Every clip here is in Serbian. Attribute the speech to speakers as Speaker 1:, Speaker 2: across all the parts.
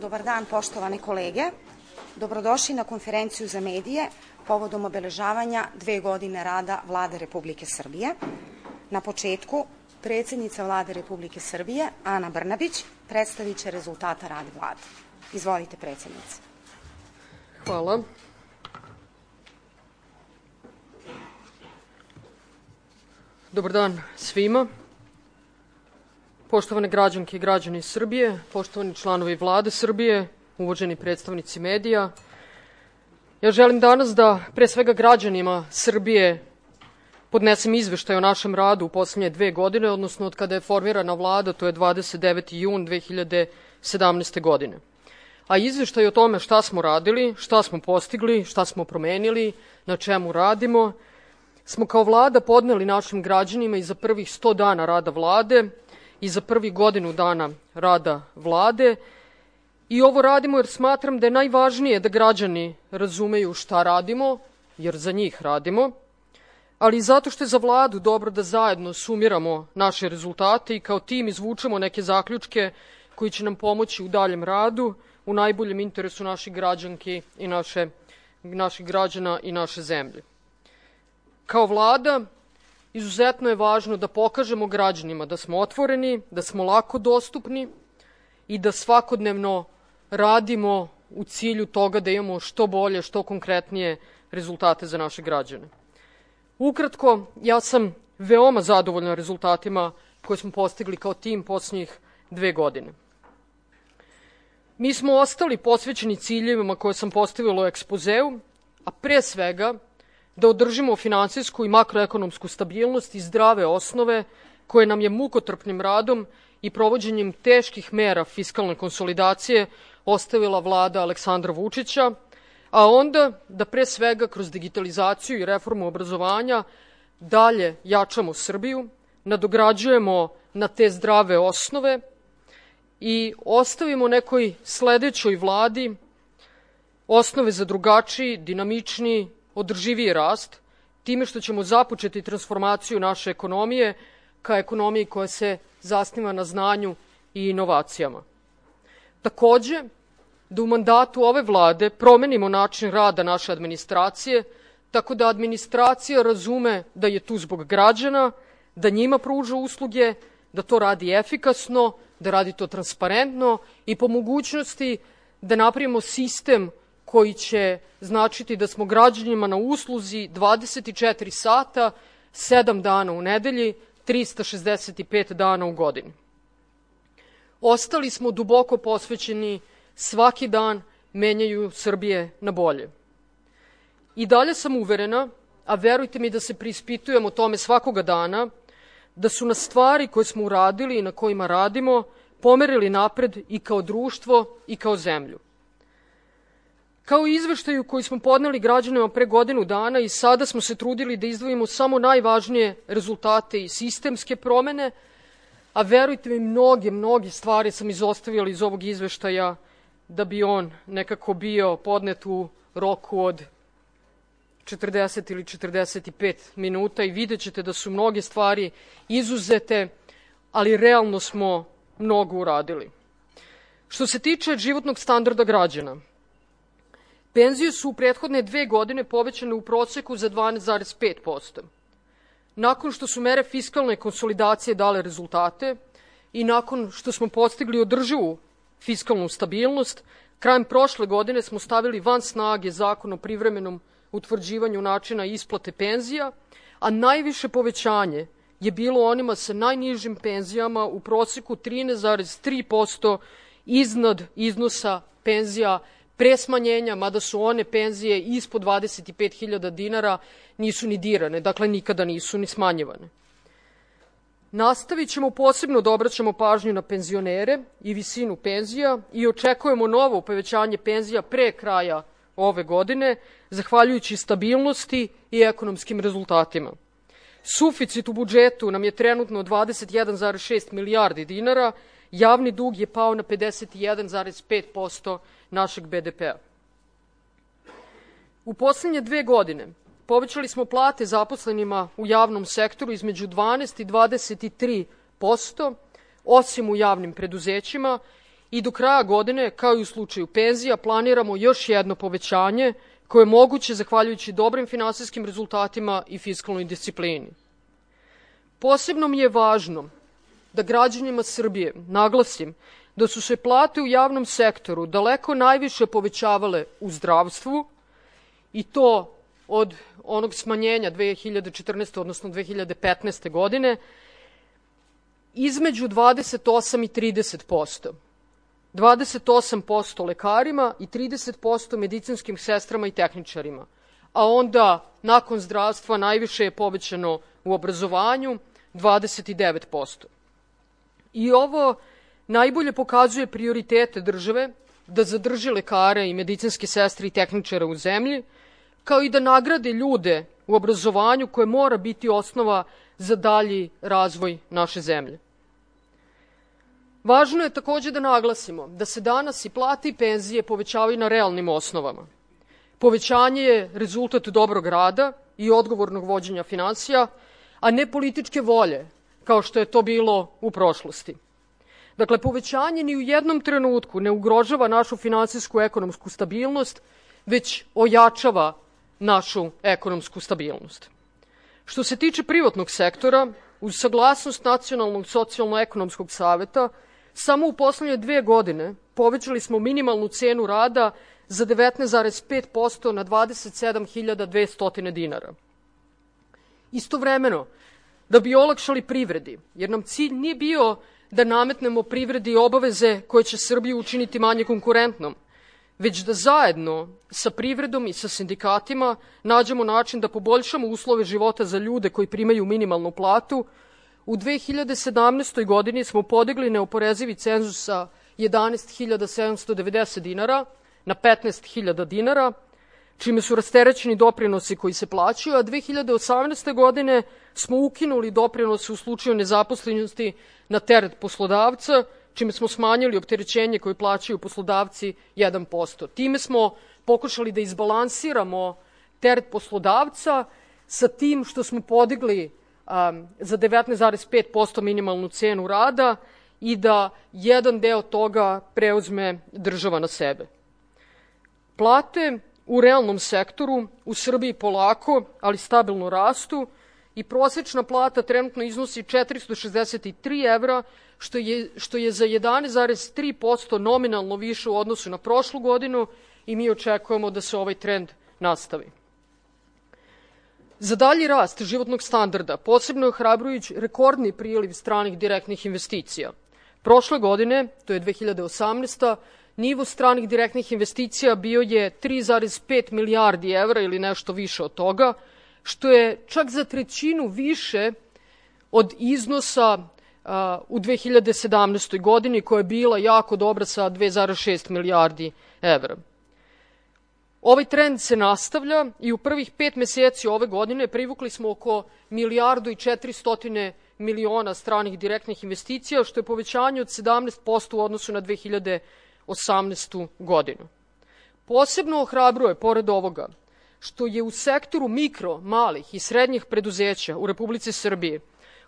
Speaker 1: Dobar dan, poštovane kolege. Dobrodošli na konferenciju za medije povodom obeležavanja 2 godine rada Vlade Republike Srbije. Na početku, predsjednica Vlade Republike Srbije, Ana Brnabić, predstavit će rezultate rada Vlade. Izvolite, predsjednice.
Speaker 2: Hvala. Dobar dan svima. Poštovane građanke i građani Srbije, poštovani članovi Vlade Srbije, uvaženi predstavnici medija, ja želim danas da pre svega građanima Srbije podnesem izveštaj o našem radu u poslednje 2 godine, odnosno od kada je formirana Vlada, to je 29. jun 2017. godine. A izveštaj o tome šta smo radili, šta smo postigli, šta smo promenili, na čemu radimo, smo kao Vlada podneli našim građanima i za prvih 100 dana rada Vlade i za prvih godinu dana rada Vlade. I ovo radimo jer smatram da je najvažnije da građani razumeju šta radimo, jer za njih radimo, ali i zato što je za Vladu dobro da zajedno sumiramo naše rezultate i kao tim izvučemo neke zaključke koji će nam pomoći u daljem radu, u najboljem interesu naših građanki i naših građana i naše zemlje. Kao Vlada, izuzetno je važno da pokažemo građanima da smo otvoreni, da smo lako dostupni i da svakodnevno radimo u cilju toga da imamo što bolje, što konkretnije rezultate za naše građane. Ukratko, ja sam veoma zadovoljna rezultatima koje smo postigli kao tim posljednjih 2 godine. Mi smo ostali posvećeni ciljevima koje sam postavila u ekspozeu, a pre svega da održimo finansijsku i makroekonomsku stabilnost i zdrave osnove koje nam je mukotrpnim radom i provođenjem teških mera fiskalne konsolidacije ostavila Vlada Aleksandra Vučića, a onda da pre svega kroz digitalizaciju i reformu obrazovanja dalje jačamo Srbiju, nadograđujemo na te zdrave osnove i ostavimo nekoj sledećoj Vladi osnove za drugačiji, dinamičniji, održiviji rast, time što ćemo započeti transformaciju naše ekonomije ka ekonomiji koja se zasniva na znanju i inovacijama. Takođe, da u mandatu ove Vlade promenimo način rada naše administracije, tako da administracija razume da je tu zbog građana, da njima pruža usluge, da to radi efikasno, da radi to transparentno i po mogućnosti da napravimo sistem koji će značiti da smo građanima na usluzi 24 sata, 7 dana u nedelji, 365 dana u godini. Ostali smo duboko posvećeni svaki dan menjaju Srbije na bolje. I dalje sam uverena, a verujte mi da se preispitujemo tome svakoga dana, da su nas stvari koje smo uradili i na kojima radimo pomerili napred i kao društvo i kao zemlju. Kao i izveštaju koji smo podneli građanima pre godinu dana i sada smo se trudili da izdvojimo samo najvažnije rezultate i sistemske promene, a verujte mi, mnoge stvari sam izostavila iz ovog izveštaja da bi on nekako bio podnet u roku od 40 ili 45 minuta i vidjet ćete da su mnoge stvari izuzete, ali realno smo mnogo uradili. Što se tiče životnog standarda građana, penzije su u prethodne 2 godine povećane u proseku za 12,5%. Nakon što su mere fiskalne konsolidacije dale rezultate i nakon što smo postigli održivu fiskalnu stabilnost, krajem prošle godine smo stavili van snage Zakon o privremenom utvrđivanju načina isplate penzija, a najviše povećanje je bilo onima sa najnižim penzijama u proseku 13,3% iznad iznosa penzija pre smanjenja, mada su one penzije ispod 25.000 dinara nisu ni dirane, dakle nikada nisu ni smanjivane. Nastavit ćemo posebno da obraćamo pažnju na penzionere i visinu penzija i očekujemo novo povećanje penzija pre kraja ove godine, zahvaljujući stabilnosti i ekonomskim rezultatima. Suficit u budžetu nam je trenutno 21,6 milijardi dinara, javni dug je pao na 51,5% našeg BDP-a. U poslednje 2 godine povećali smo plate zaposlenima u javnom sektoru između 12 i 23%, osim u javnim preduzećima, i do kraja godine, kao i u slučaju penzija, planiramo još jedno povećanje koje je moguće zahvaljujući dobrim finansijskim rezultatima i fiskalnoj disciplini. Posebno mi je važno da građanima Srbije naglasim da su se plate u javnom sektoru daleko najviše povećavale u zdravstvu i to od onog smanjenja 2014. odnosno 2015. godine između 28 i 30%. 28% lekarima i 30% medicinskim sestrama i tehničarima. A onda, nakon zdravstva, najviše je povećano u obrazovanju, 29%. I ovo najbolje pokazuje prioritete države da zadrži lekare i medicinske sestre i tehničare u zemlji, kao i da nagrade ljude u obrazovanju koje mora biti osnova za dalji razvoj naše zemlje. Važno je takođe da naglasimo da se danas i plate i penzije povećavaju na realnim osnovama. Povećanje je rezultat dobrog rada i odgovornog vođenja finansija, a ne političke volje, kao što je to bilo u prošlosti. Dakle, povećanje ni u jednom trenutku ne ugrožava našu finansijsku ekonomsku stabilnost, već ojačava našu ekonomsku stabilnost. Što se tiče privatnog sektora, uz saglasnost Nacionalnog socijalno-ekonomskog saveta, samo u poslednje 2 godine povećali smo minimalnu cenu rada za 19,5% na 27.200 dinara. Istovremeno, da bi olakšali privredi, jer nam cilj nije bio da nametnemo privredi obaveze koje će Srbiju učiniti manje konkurentnom, već da zajedno sa privredom i sa sindikatima nađemo način da poboljšamo uslove života za ljude koji primaju minimalnu platu. U 2017. godini smo podigli neoporezivi cenzus sa 11.790 dinara na 15.000 dinara, čime su rasterećeni doprinosi koji se plaćaju, a 2018. godine smo ukinuli doprinose u slučaju nezaposlenosti na teret poslodavca, čime smo smanjili opterećenje koje plaćaju poslodavci 1%. Time smo pokušali da izbalansiramo teret poslodavca sa tim što smo podigli za 19,5% minimalnu cenu rada i da jedan deo toga preuzme država na sebe. Plate u realnom sektoru u Srbiji polako, ali stabilno rastu i prosečna plata trenutno iznosi 463 evra, što je za 11,3% nominalno više u odnosu na prošlu godinu i mi očekujemo da se ovaj trend nastavi. Za dalji rast životnog standarda posebno je ohrabrujući rekordni priliv stranih direktnih investicija. Prošle godine, to je 2018. nivo stranih direktnih investicija bio je 3,5 milijardi evra ili nešto više od toga, što je čak za trećinu više od iznosa u 2017. godini, koja je bila jako dobra sa 2,6 milijardi evra. Ovaj trend se nastavlja i u prvih 5 meseci ove godine privukli smo oko 1.400 miliona stranih direktnih investicija, što je povećanje od 17% u odnosu na 2018. godinu. Posebno ohrabruje, pored ovoga, što je u sektoru mikro, malih i srednjih preduzeća u Republici Srbiji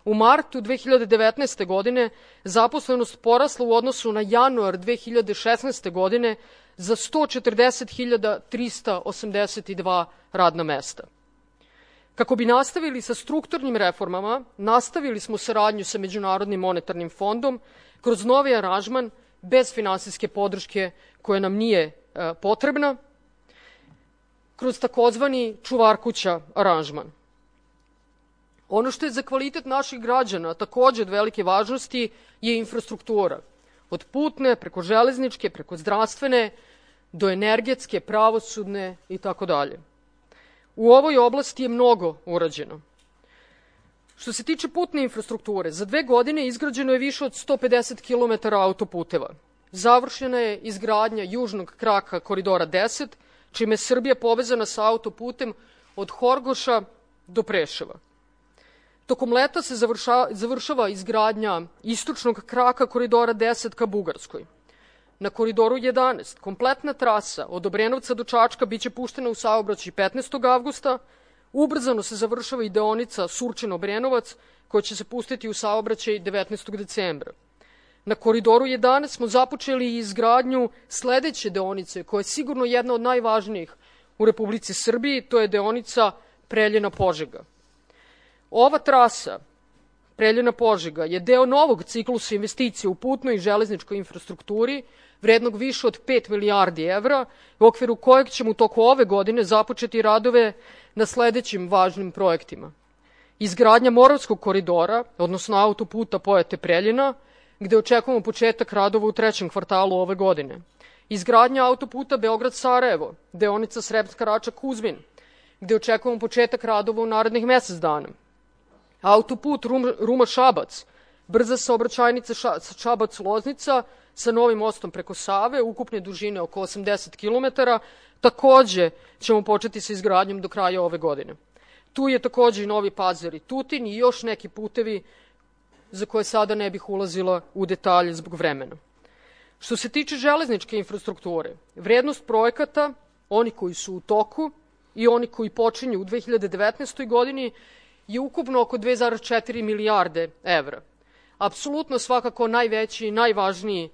Speaker 2: u martu 2019. godine zaposlenost porasla u odnosu na januar 2016. godine za 140.382 radna mesta. Kako bi nastavili sa strukturnim reformama, nastavili smo saradnju sa Međunarodnim monetarnim fondom kroz novi aranžman bez finansijske podrške koja nam nije potrebna, kroz takozvani čuvarkuća aranžman. Ono što je za kvalitet naših građana takođe od velike važnosti je infrastruktura. Od putne, preko železničke, preko zdravstvene, do energetske, pravosudne i tako dalje. U ovoj oblasti je mnogo urađeno. Što se tiče putne infrastrukture, za 2 godine izgrađeno je više od 150 km autoputeva. Završena je izgradnja južnog kraka Koridora 10, čime je Srbija povezana sa autoputem od Horgoša do Preševa. Tokom leta se završava izgradnja istočnog kraka Koridora 10 ka Bugarskoj. Na Koridoru 11 kompletna trasa od Obrenovca do Čačka biće puštena u saobraćaj 15. avgusta. Ubrzano se završava i deonica Surčin-Obrenovac, koja će se pustiti u saobraćaj 19. decembra. Na Koridoru 11 smo započeli izgradnju sledeće deonice, koja je sigurno jedna od najvažnijih u Republici Srbiji, to je deonica Preljina-Požega. Ova trasa Preljina-Požega je deo novog ciklusa investicija u putnoj i železničkoj infrastrukturi, vrednog više od 5 milijardi evra, u okviru kojeg ćemo u toku ove godine započeti radove na sledećim važnim projektima. Izgradnja Moravskog koridora, odnosno autoputa Pojate-Preljina, gde očekujemo početak radova u 3. kvartalu ove godine. Izgradnja autoputa Beograd-Sarajevo, deonica Sremska Rača-Kuzmin, gde očekujemo početak radova u narednih mesec dana. Autoput Ruma-Šabac, brza saobraćajnica Šabac-Loznica sa novim mostom preko Save, ukupne dužine oko 80 km, takođe ćemo početi sa izgradnjom do kraja ove godine. Tu je takođe i Novi Pazar i Tutin i još neki putevi za koje sada ne bih ulazila u detalje zbog vremena. Što se tiče železničke infrastrukture, vrednost projekata, oni koji su u toku i oni koji počinju u 2019. godini, je ukupno oko 2,4 milijarde evra. Apsolutno svakako najveći i najvažniji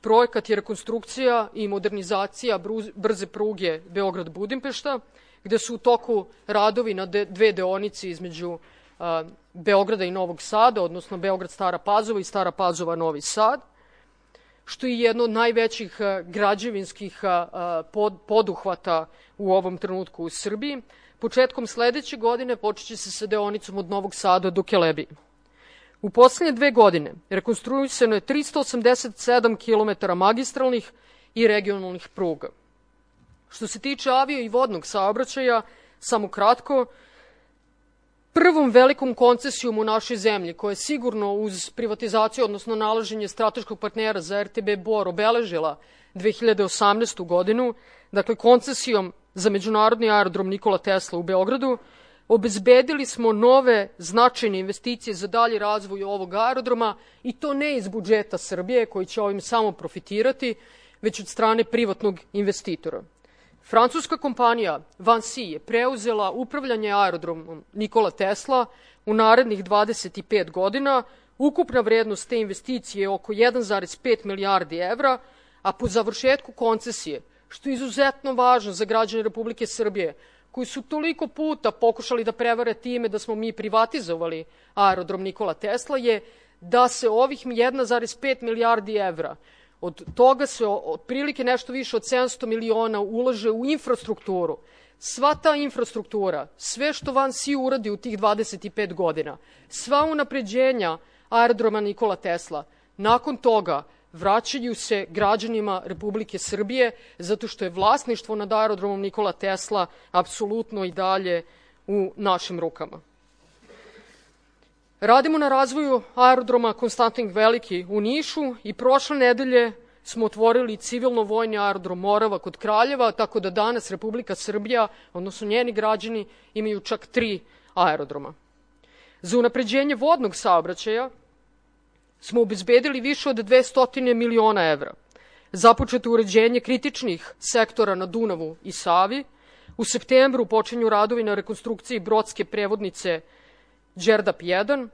Speaker 2: projekat je rekonstrukcija i modernizacija brze pruge Beograd-Budimpešta, gde su u toku radovi na dve deonice između Beograda i Novog Sada, odnosno Beograd-Stara Pazova i Stara Pazova-Novi Sad, što je jedno od najvećih građevinskih poduhvata u ovom trenutku u Srbiji. Početkom sledeće godine počeće se sa deonicom od Novog Sada do Kelebije. U poslednje 2 godine rekonstruisano je 387 km magistralnih i regionalnih pruga. Što se tiče avio i vodnog saobraćaja, samo kratko, prvom velikom koncesijom u našoj zemlji, koja je sigurno uz privatizaciju, odnosno nalaženje strateškog partnera za RTB Bor obeležila 2018. godinu, dakle koncesijom za međunarodni aerodrom Nikola Tesla u Beogradu, obezbedili smo nove značajne investicije za dalji razvoj ovog aerodroma i to ne iz budžeta Srbije, koji će ovim samo profitirati, već od strane privatnog investitora. Francuska kompanija Vinci je preuzela upravljanje aerodromom Nikola Tesla u narednih 25 godina. Ukupna vrednost te investicije je oko 1,5 milijardi evra, a po završetku koncesije, što je izuzetno važno za građane Republike Srbije, koji su toliko puta pokušali da prevare time da smo mi privatizovali aerodrom Nikola Tesla, je da se ovih 1,5 milijardi evra, od toga se otprilike nešto više od 700 miliona ulaže u infrastrukturu. Sva ta infrastruktura, sve što Vinci uradi u tih 25 godina, sva unapređenja aerodroma Nikola Tesla, nakon toga vraćaju se građanima Republike Srbije, zato što je vlasništvo nad aerodromom Nikola Tesla apsolutno i dalje u našim rukama. Radimo na razvoju aerodroma Konstantin Veliki u Nišu i prošle nedelje smo otvorili civilno-vojni aerodrom Morava kod Kraljeva, tako da danas Republika Srbija, odnosno njeni građani, imaju čak 3 aerodroma. Za unapređenje vodnog saobraćaja smo obezbedili više od 200 miliona evra. Započeto uređenje kritičnih sektora na Dunavu i Savi. U septembru počinju radovi na rekonstrukciji brodske prevodnice Đerdap 1.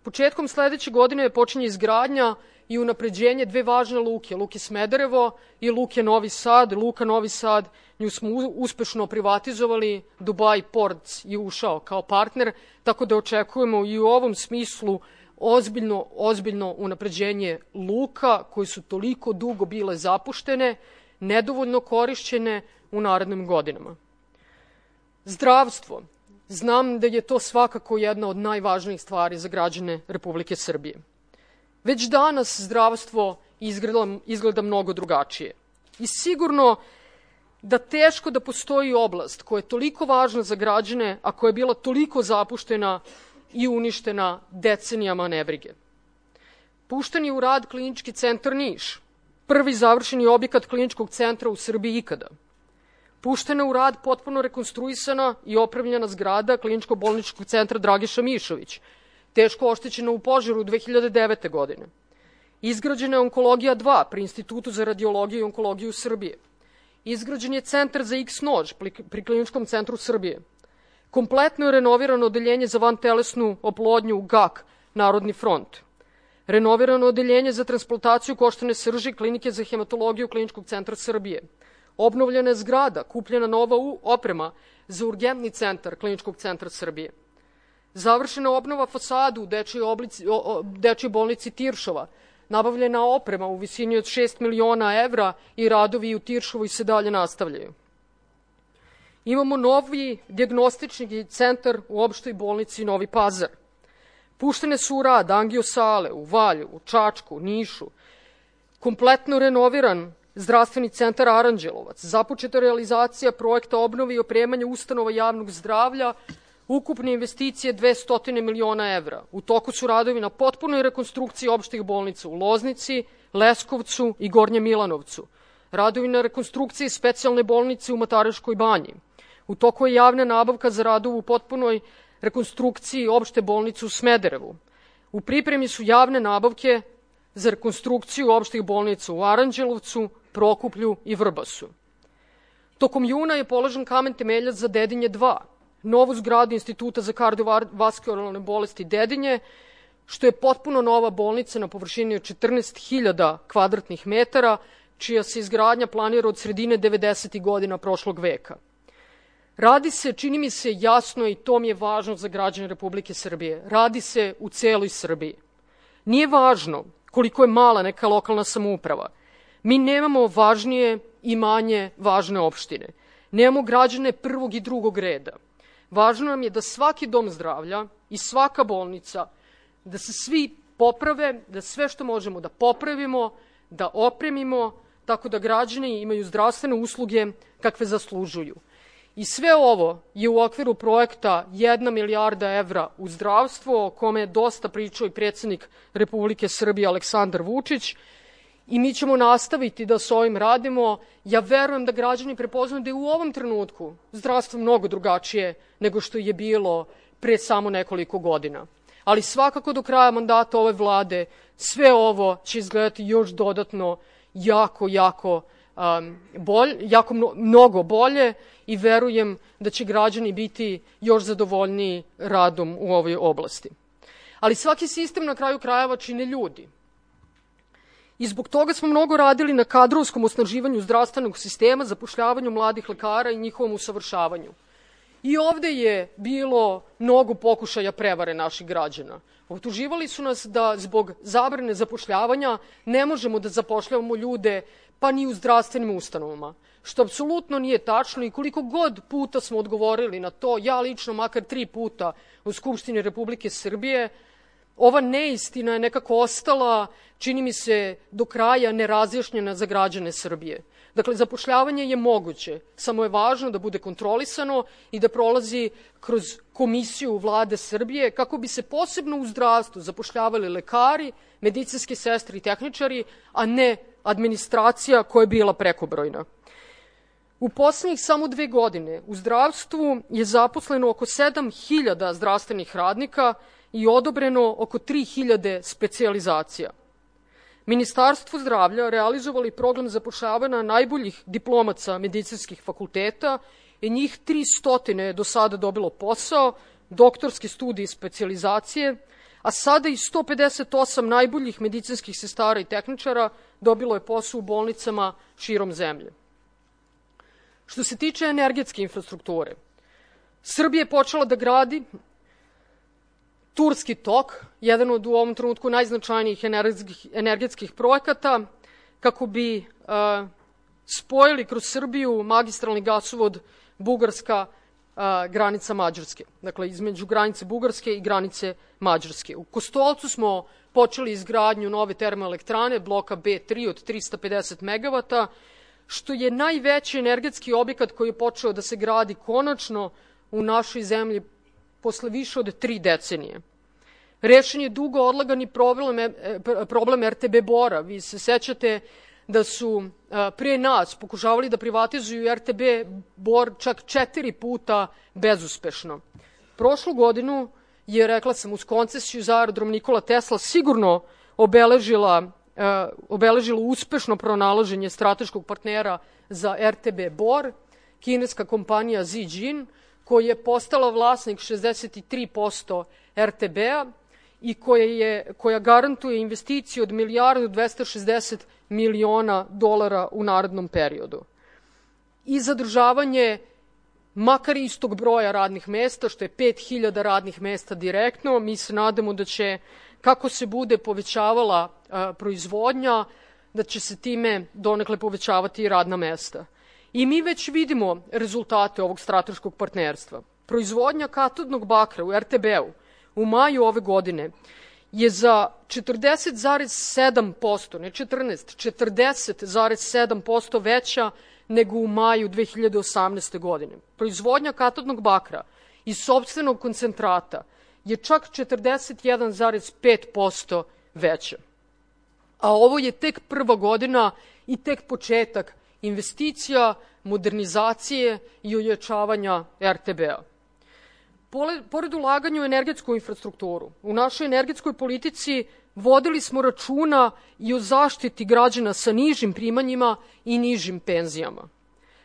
Speaker 2: Početkom sledeće godine počinje izgradnja i unapređenje 2 važne luke, Luke Smederevo i Luke Novi Sad. Luka Novi Sad, nju smo uspešno privatizovali, Dubai Ports je ušao kao partner, tako da očekujemo i u ovom smislu ozbiljno unapređenje luka koje su toliko dugo bile zapuštene, nedovoljno korišćene u narednim godinama. Zdravstvo. Znam da je to svakako jedna od najvažnijih stvari za građane Republike Srbije. Već danas zdravstvo izgleda mnogo drugačije. I sigurno da teško da postoji oblast koja je toliko važna za građane, a koja je bila toliko zapuštena i uništena decenijama nebrige. Pušten je u rad Klinički centar Niš, prvi završeni objekat kliničkog centra u Srbiji ikada. Puštena u rad potpuno rekonstruisana i opremljena zgrada Kliničko-bolničkog centra Dragiša Mišović, teško oštećena u požaru 2009. godine. Izgrađena je Onkologija 2 pri Institutu za radiologiju i onkologiju Srbije. Izgrađen je Centar za X-nož pri Kliničkom centru Srbije. Kompletno je renovirano odeljenje za vantelesnu oplodnju u GAK, Narodni front. renovirano odeljenje za transplantaciju koštane srži Klinike za hematologiju Kliničkog centra Srbije, obnovljena je zgrada, kupljena nova oprema za urgentni centar Kliničkog centra Srbije, završena obnova fasadu u Dečijoj bolnici Tiršova, nabavljena oprema u visini od 6 miliona evra i radovi u Tiršovoj se dalje nastavljaju. Imamo novi dijagnostični centar u opštoj bolnici Novi Pazar. Puštene su u rad angio-sale u Valjevu, Čačku, Nišu, kompletno renoviran zdravstveni centar Aranđelovac, započeta realizacija projekta obnove i opremanja ustanova javnog zdravlja, ukupne investicije 200 miliona evra. U toku su radovi na potpunoj rekonstrukciji opštih bolnica u Loznici, Leskovcu i Gornjem Milanovcu. Radovi na rekonstrukciji specijalne bolnice u Mataruškoj banji. U toku je javna nabavka za radove u potpunoj rekonstrukciji opšte bolnice u Smederevu. U pripremi su javne nabavke za rekonstrukciju opštih bolnica u Aranđelovcu, Prokuplju i Vrbasu. Tokom juna je položen kamen temeljac za Dedinje 2, novu zgradu Instituta za kardiovaskularne bolesti Dedinje, što je potpuno nova bolnica na površini od 14.000 kvadratnih metara, čija se izgradnja planira od sredine 90. godina prošlog veka. Radi se, čini mi se jasno, i to mi je važno za građane Republike Srbije, radi se u celoj Srbiji. Nije važno koliko je mala neka lokalna samouprava. Mi nemamo važnije i manje važne opštine. Nemamo građane prvog i drugog reda. Važno nam je da svaki dom zdravlja i svaka bolnica, da se svi poprave, da sve što možemo da popravimo, da opremimo, tako da građani imaju zdravstvene usluge kakve zaslužuju. I sve ovo je u okviru projekta 1 milijarda evra u zdravstvo, o kome je dosta pričao i predsjednik Republike Srbije Aleksandar Vučić, i mi ćemo nastaviti da s ovim radimo. Ja verujem da građani prepoznaju da je u ovom trenutku zdravstvo mnogo drugačije nego što je bilo pre samo nekoliko godina. Ali svakako do kraja mandata ove vlade sve ovo će izgledati još dodatno mnogo bolje i verujem da će građani biti još zadovoljniji radom u ovoj oblasti. Ali svaki sistem na kraju krajeva čine ljudi. I zbog toga smo mnogo radili na kadrovskom osnaživanju zdravstvenog sistema, zapošljavanju mladih lekara i njihovom usavršavanju. I ovde je bilo mnogo pokušaja prevare naših građana. Optuživali su nas da zbog zabrane zapošljavanja ne možemo da zapošljavamo ljude pa ni u zdravstvenim ustanovama, što apsolutno nije tačno i koliko god puta smo odgovorili na to, ja lično makar 3 puta u Skupštini Republike Srbije, ova neistina je nekako ostala, čini mi se, do kraja nerazjašnjena za građane Srbije. Dakle, zapošljavanje je moguće, samo je važno da bude kontrolisano i da prolazi kroz komisiju Vlade Srbije kako bi se posebno u zdravstvu zapošljavali lekari, medicinske sestre i tehničari, a ne administracija koja je bila prekobrojna. U poslednjih samo 2 godine u zdravstvu je zaposleno oko 7.000 zdravstvenih radnika i odobreno oko 3.000 specijalizacija. Ministarstvo zdravlja realizovali program zapošljavanja najboljih diplomaca medicinskih fakulteta i njih 300 je do sada dobilo posao, doktorske studije i specijalizacije, a sada i 158 najboljih medicinskih sestara i tehničara dobilo je posao u bolnicama širom zemlje. Što se tiče energetske infrastrukture, Srbija je počela da gradi Turski tok, jedan od u ovom trenutku najznačajnijih energetskih projekata, kako bi spojili kroz Srbiju magistralni gasovod Bugarska granica Mađarske. Dakle, između granice Bugarske i granice Mađarske. U Kostolcu smo počeli izgradnju nove termoelektrane, bloka B3 od 350 megavata, što je najveći energetski objekat koji je počeo da se gradi konačno u našoj zemlji posle više od 3 decenije. Rešen je dugo odlagani problem RTB Bora. Vi se sećate da su pre nas pokušavali da privatizuju RTB Bor čak 4 puta bezuspešno. Prošlu godinu je, rekla sam, uz koncesiju za aerodrom Nikola Tesla sigurno obeležilo uspešno pronalaženje strateškog partnera za RTB Bor, kineska kompanija Zijin, koja je postala vlasnik 63% RTB-a i koja garantuje investiciju od $1.260 miliona u narednom periodu. I zadržavanje makar istog broja radnih mesta, što je 5.000 radnih mesta direktno. Mi se nadamo da će, kako se bude povećavala proizvodnja, da će se time donekle povećavati i radna mesta. I mi već vidimo rezultate ovog strateškog partnerstva. Proizvodnja katodnog bakra u RTB-u u maju ove godine je za 40,7%, ne 14, 40,7% veća nego u maju 2018. godine. Proizvodnja katodnog bakra iz sopstvenog koncentrata je čak 41,5% veća. A ovo je tek prva godina i tek početak investicija, modernizacije i ojačavanja RTB-a. Pored ulaganja u energetsku infrastrukturu, u našoj energetskoj politici vodili smo računa i o zaštiti građana sa nižim primanjima i nižim penzijama.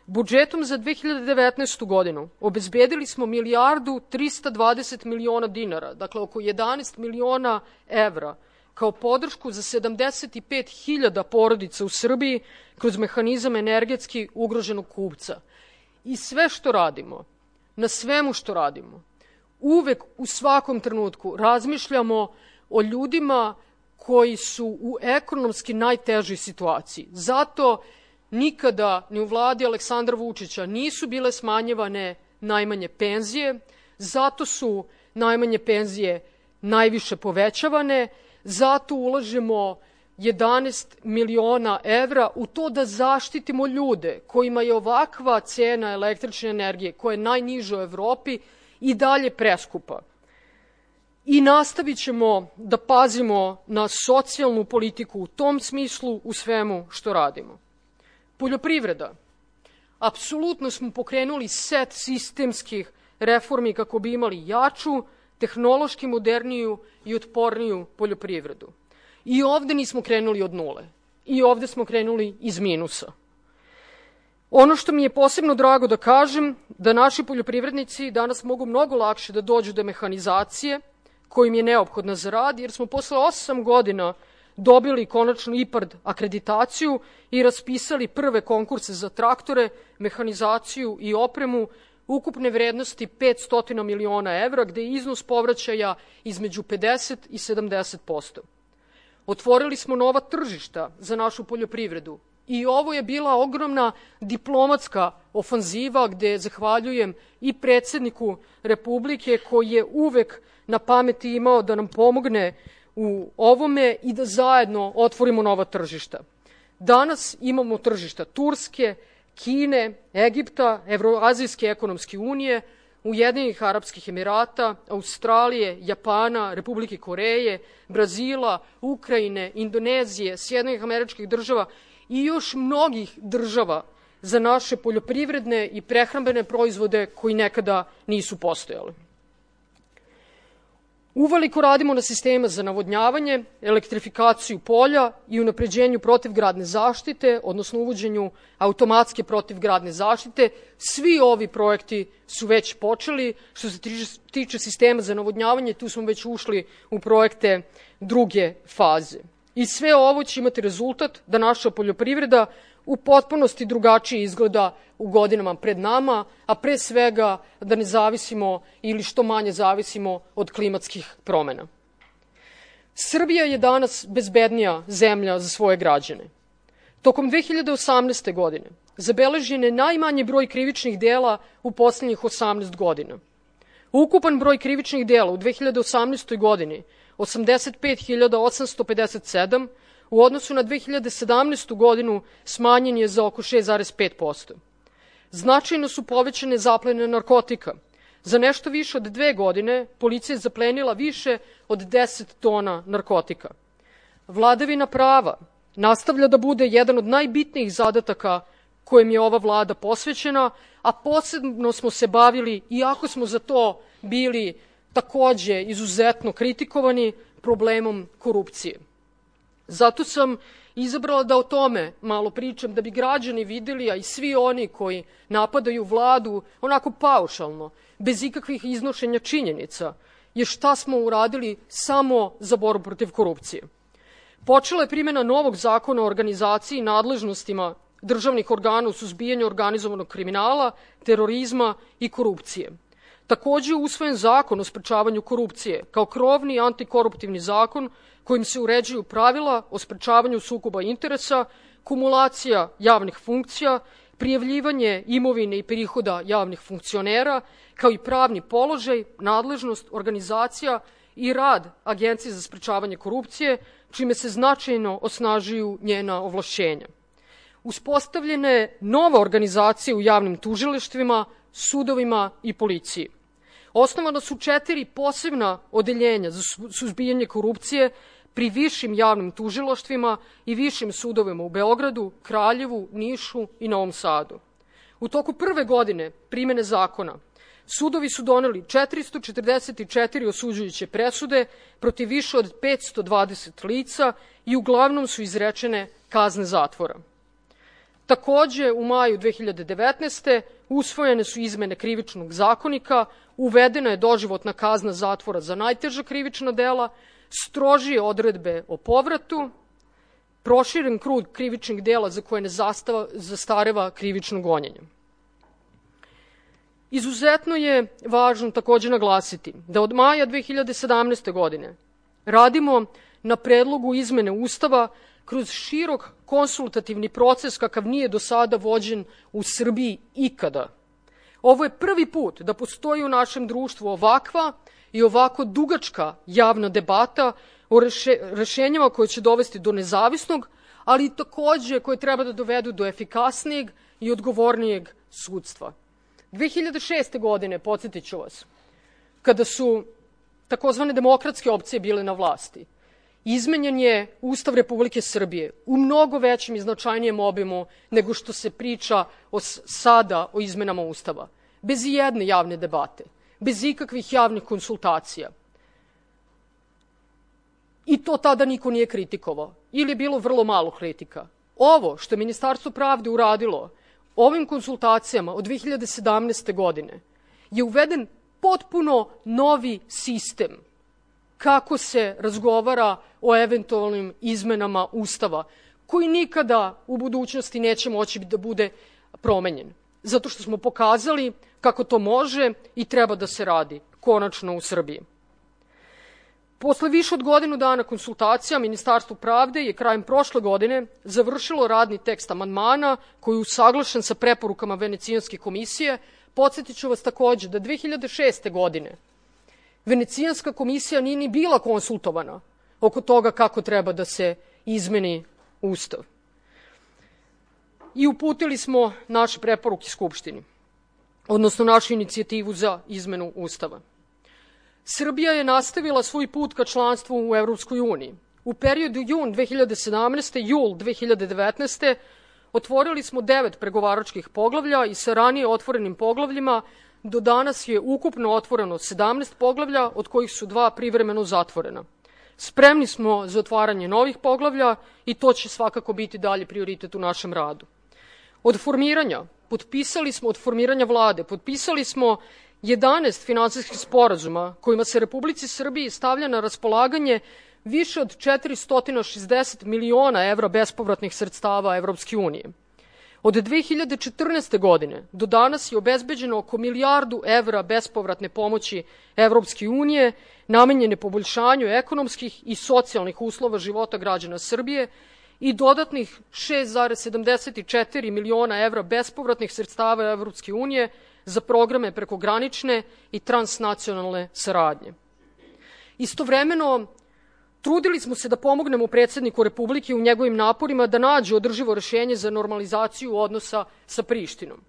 Speaker 2: Budžetom za 2019. godinu obezbedili smo $1.320 miliona, dakle oko 11 miliona evra, kao podršku za 75.000 porodica u Srbiji kroz mehanizam energetski ugroženog kupca. I sve što radimo, na svemu što radimo, uvek u svakom trenutku razmišljamo o ljudima koji su u ekonomski najtežoj situaciji. Zato nikada ni u vladi Aleksandra Vučića nisu bile smanjivane najmanje penzije, zato su najmanje penzije najviše povećavane, zato ulažemo 11 miliona evra u to da zaštitimo ljude kojima je ovakva cena električne energije, koja je najniža u Evropi, i dalje preskupa. I nastavit ćemo da pazimo na socijalnu politiku u tom smislu u svemu što radimo. Poljoprivreda. Apsolutno smo pokrenuli set sistemskih reformi kako bi imali jaču, tehnološki moderniju i otporniju poljoprivredu. I ovde nismo krenuli od nule. I ovde smo krenuli iz minusa. Ono što mi je posebno drago da kažem, da naši poljoprivrednici danas mogu mnogo lakše da dođu do mehanizacije koja im je neophodna za rad, jer smo posle 8 godina dobili konačno IPARD akreditaciju i raspisali prve konkurse za traktore, mehanizaciju i opremu ukupne vrednosti 500 miliona evra, gde je iznos povraćaja između 50 i 70%. Otvorili smo nova tržišta za našu poljoprivredu i ovo je bila ogromna diplomatska ofanziva gde zahvaljujem i predsedniku Republike koji je uvek na pameti imao da nam pomogne u ovome i da zajedno otvorimo nova tržišta. Danas imamo tržišta Turske, Kine, Egipta, Evroazijske ekonomske unije, Ujedinjenih Arapskih Emirata, Australije, Japana, Republike Koreje, Brazila, Ukrajine, Indonezije, Sjedinjenih Američkih Država i još mnogih država za naše poljoprivredne i prehrambene proizvode koji nekada nisu postojali. Uveliko radimo na sistemima za navodnjavanje, elektrifikaciju polja i unapređenju protivgradne zaštite, odnosno uvođenju automatske protivgradne zaštite. Svi ovi projekti su već počeli. Što se tiče sistema za navodnjavanje, tu smo već ušli u projekte druge faze. I sve ovo će imati rezultat da naša poljoprivreda u potpunosti drugačije izgleda u godinama pred nama, a pre svega da ne zavisimo ili što manje zavisimo od klimatskih promena. Srbija je danas bezbednija zemlja za svoje građane. Tokom 2018. godine zabeležen je najmanji broj krivičnih dela u poslednjih 18 godina. Ukupan broj krivičnih dela u 2018. godini 85.857, u odnosu na 2017. godinu smanjen je za oko 6,5%. Značajno su povećane zaplene narkotika. Za nešto više od 2 godine policija je zaplenila više od 10 tona narkotika. Vladavina prava nastavlja da bude jedan od najbitnijih zadataka kojem je ova vlada posvećena, a posebno smo se bavili, iako smo za to bili takođe izuzetno kritikovani, problemom korupcije. Zato sam izabrala da o tome malo pričam, da bi građani videli, a i svi oni koji napadaju vladu onako paušalno, bez ikakvih iznošenja činjenica, je šta smo uradili samo za borbu protiv korupcije. Počela je primjena novog zakona o organizaciji i nadležnostima državnih organa u suzbijanju organizovanog kriminala, terorizma i korupcije. Takođe je usvojen zakon o sprečavanju korupcije kao krovni antikoruptivni zakon kojim se uređuju pravila o sprečavanju sukoba interesa, kumulacija javnih funkcija, prijavljivanje imovine i prihoda javnih funkcionera, kao i pravni položaj, nadležnost, organizacija i rad Agencije za sprečavanje korupcije, čime se značajno osnažuju njena ovlašćenja. Uspostavljena je nova organizacija u javnim tužilaštvima, sudovima i policiji. Osnovana su 4 posebna odeljenja za suzbijanje korupcije pri višim javnim tužilaštvima i višim sudovima u Beogradu, Kraljevu, Nišu i Novom Sadu. U toku prve godine primene zakona sudovi su doneli 444 osuđujuće presude protiv više od 520 lica i uglavnom su izrečene kazne zatvora. Takođe, u maju 2019. usvojene su izmene Krivičnog zakonika, uvedena je doživotna kazna zatvora za najteža krivična dela, strožije odredbe o povratu, proširen krug krivičnih dela za koje ne zastareva krivično gonjenje. Izuzetno je važno takođe naglasiti da od maja 2017. godine radimo na predlogu izmene Ustava kroz širok konsultativni proces kakav nije do sada vođen u Srbiji ikada. Ovo je prvi put da postoji u našem društvu ovakva i ovako dugačka javna debata o rešenjima koje će dovesti do nezavisnog, ali i takođe koje treba da dovedu do efikasnijeg i odgovornijeg sudstva. 2006. godine, podsjetit ću vas, kada su takozvane demokratske opcije bile na vlasti, izmenjen je Ustav Republike Srbije u mnogo većem i značajnijem obimu nego što se priča sada o izmenama Ustava. Bez ijedne javne debate, bez ikakvih javnih konsultacija. I to tada niko nije kritikovao ili je bilo vrlo malo kritika. Ovo što je Ministarstvo pravde uradilo ovim konsultacijama od 2017. godine je uveden potpuno novi sistem kako se razgovara o eventualnim izmenama Ustava, koji nikada u budućnosti neće moći da bude promenjen. Zato što smo pokazali kako to može i treba da se radi, konačno u Srbiji. Posle više od godinu dana konsultacija, Ministarstvo pravde je krajem prošle godine završilo radni tekst amandmana koji je usaglašen sa preporukama Venecijanske komisije. Podsjetit ću vas takođe da 2006. godine Venecijanska komisija nije ni bila konsultovana oko toga kako treba da se izmeni Ustav. I uputili smo naše preporuke Skupštini, odnosno našu inicijativu za izmenu Ustava. Srbija je nastavila svoj put ka članstvu u Evropskoj uniji. U periodu jun 2017. jul 2019. otvorili smo 9 pregovaračkih poglavlja i sa ranije otvorenim poglavljima do danas je ukupno otvoreno 17 poglavlja, od kojih su 2 privremeno zatvorena. Spremni smo za otvaranje novih poglavlja i to će svakako biti dalje prioritet u našem radu. Od formiranja vlade potpisali smo 11 finansijskih sporazuma kojima se Republici Srbiji stavlja na raspolaganje više od 460 miliona evra bespovratnih sredstava Evropske unije. Od 2014. godine do danas je obezbeđeno oko milijardu evra bespovratne pomoći Evropske unije namenjene poboljšanju ekonomskih i socijalnih uslova života građana Srbije i dodatnih 6,74 miliona evra bespovratnih sredstava Evropske unije za programe prekogranične i transnacionalne saradnje. Istovremeno, trudili smo se da pomognemo predsedniku Republike u njegovim naporima da nađe održivo rešenje za normalizaciju odnosa sa Prištinom.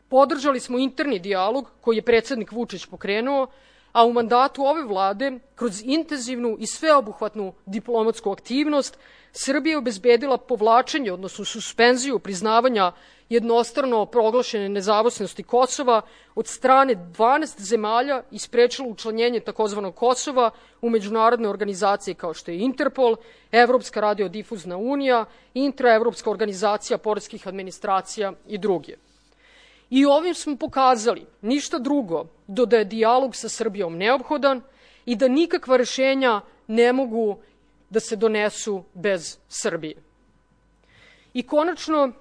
Speaker 2: Podržali smo interni dijalog koji je predsednik Vučić pokrenuo, a u mandatu ove vlade, kroz intenzivnu i sveobuhvatnu diplomatsku aktivnost, Srbija je obezbedila povlačenje, odnosno suspenziju priznavanja jednostrano proglašene nezavisnosti Kosova od strane 12 zemalja i sprečila učlanjenje takozvanog Kosova u međunarodne organizacije kao što je Interpol, Evropska radiodifuzna unija, Intraevropska organizacija poreskih administracija i druge. I ovim smo pokazali ništa drugo do da je dijalog sa Srbijom neophodan i da nikakva rešenja ne mogu da se donesu bez Srbije. I konačno,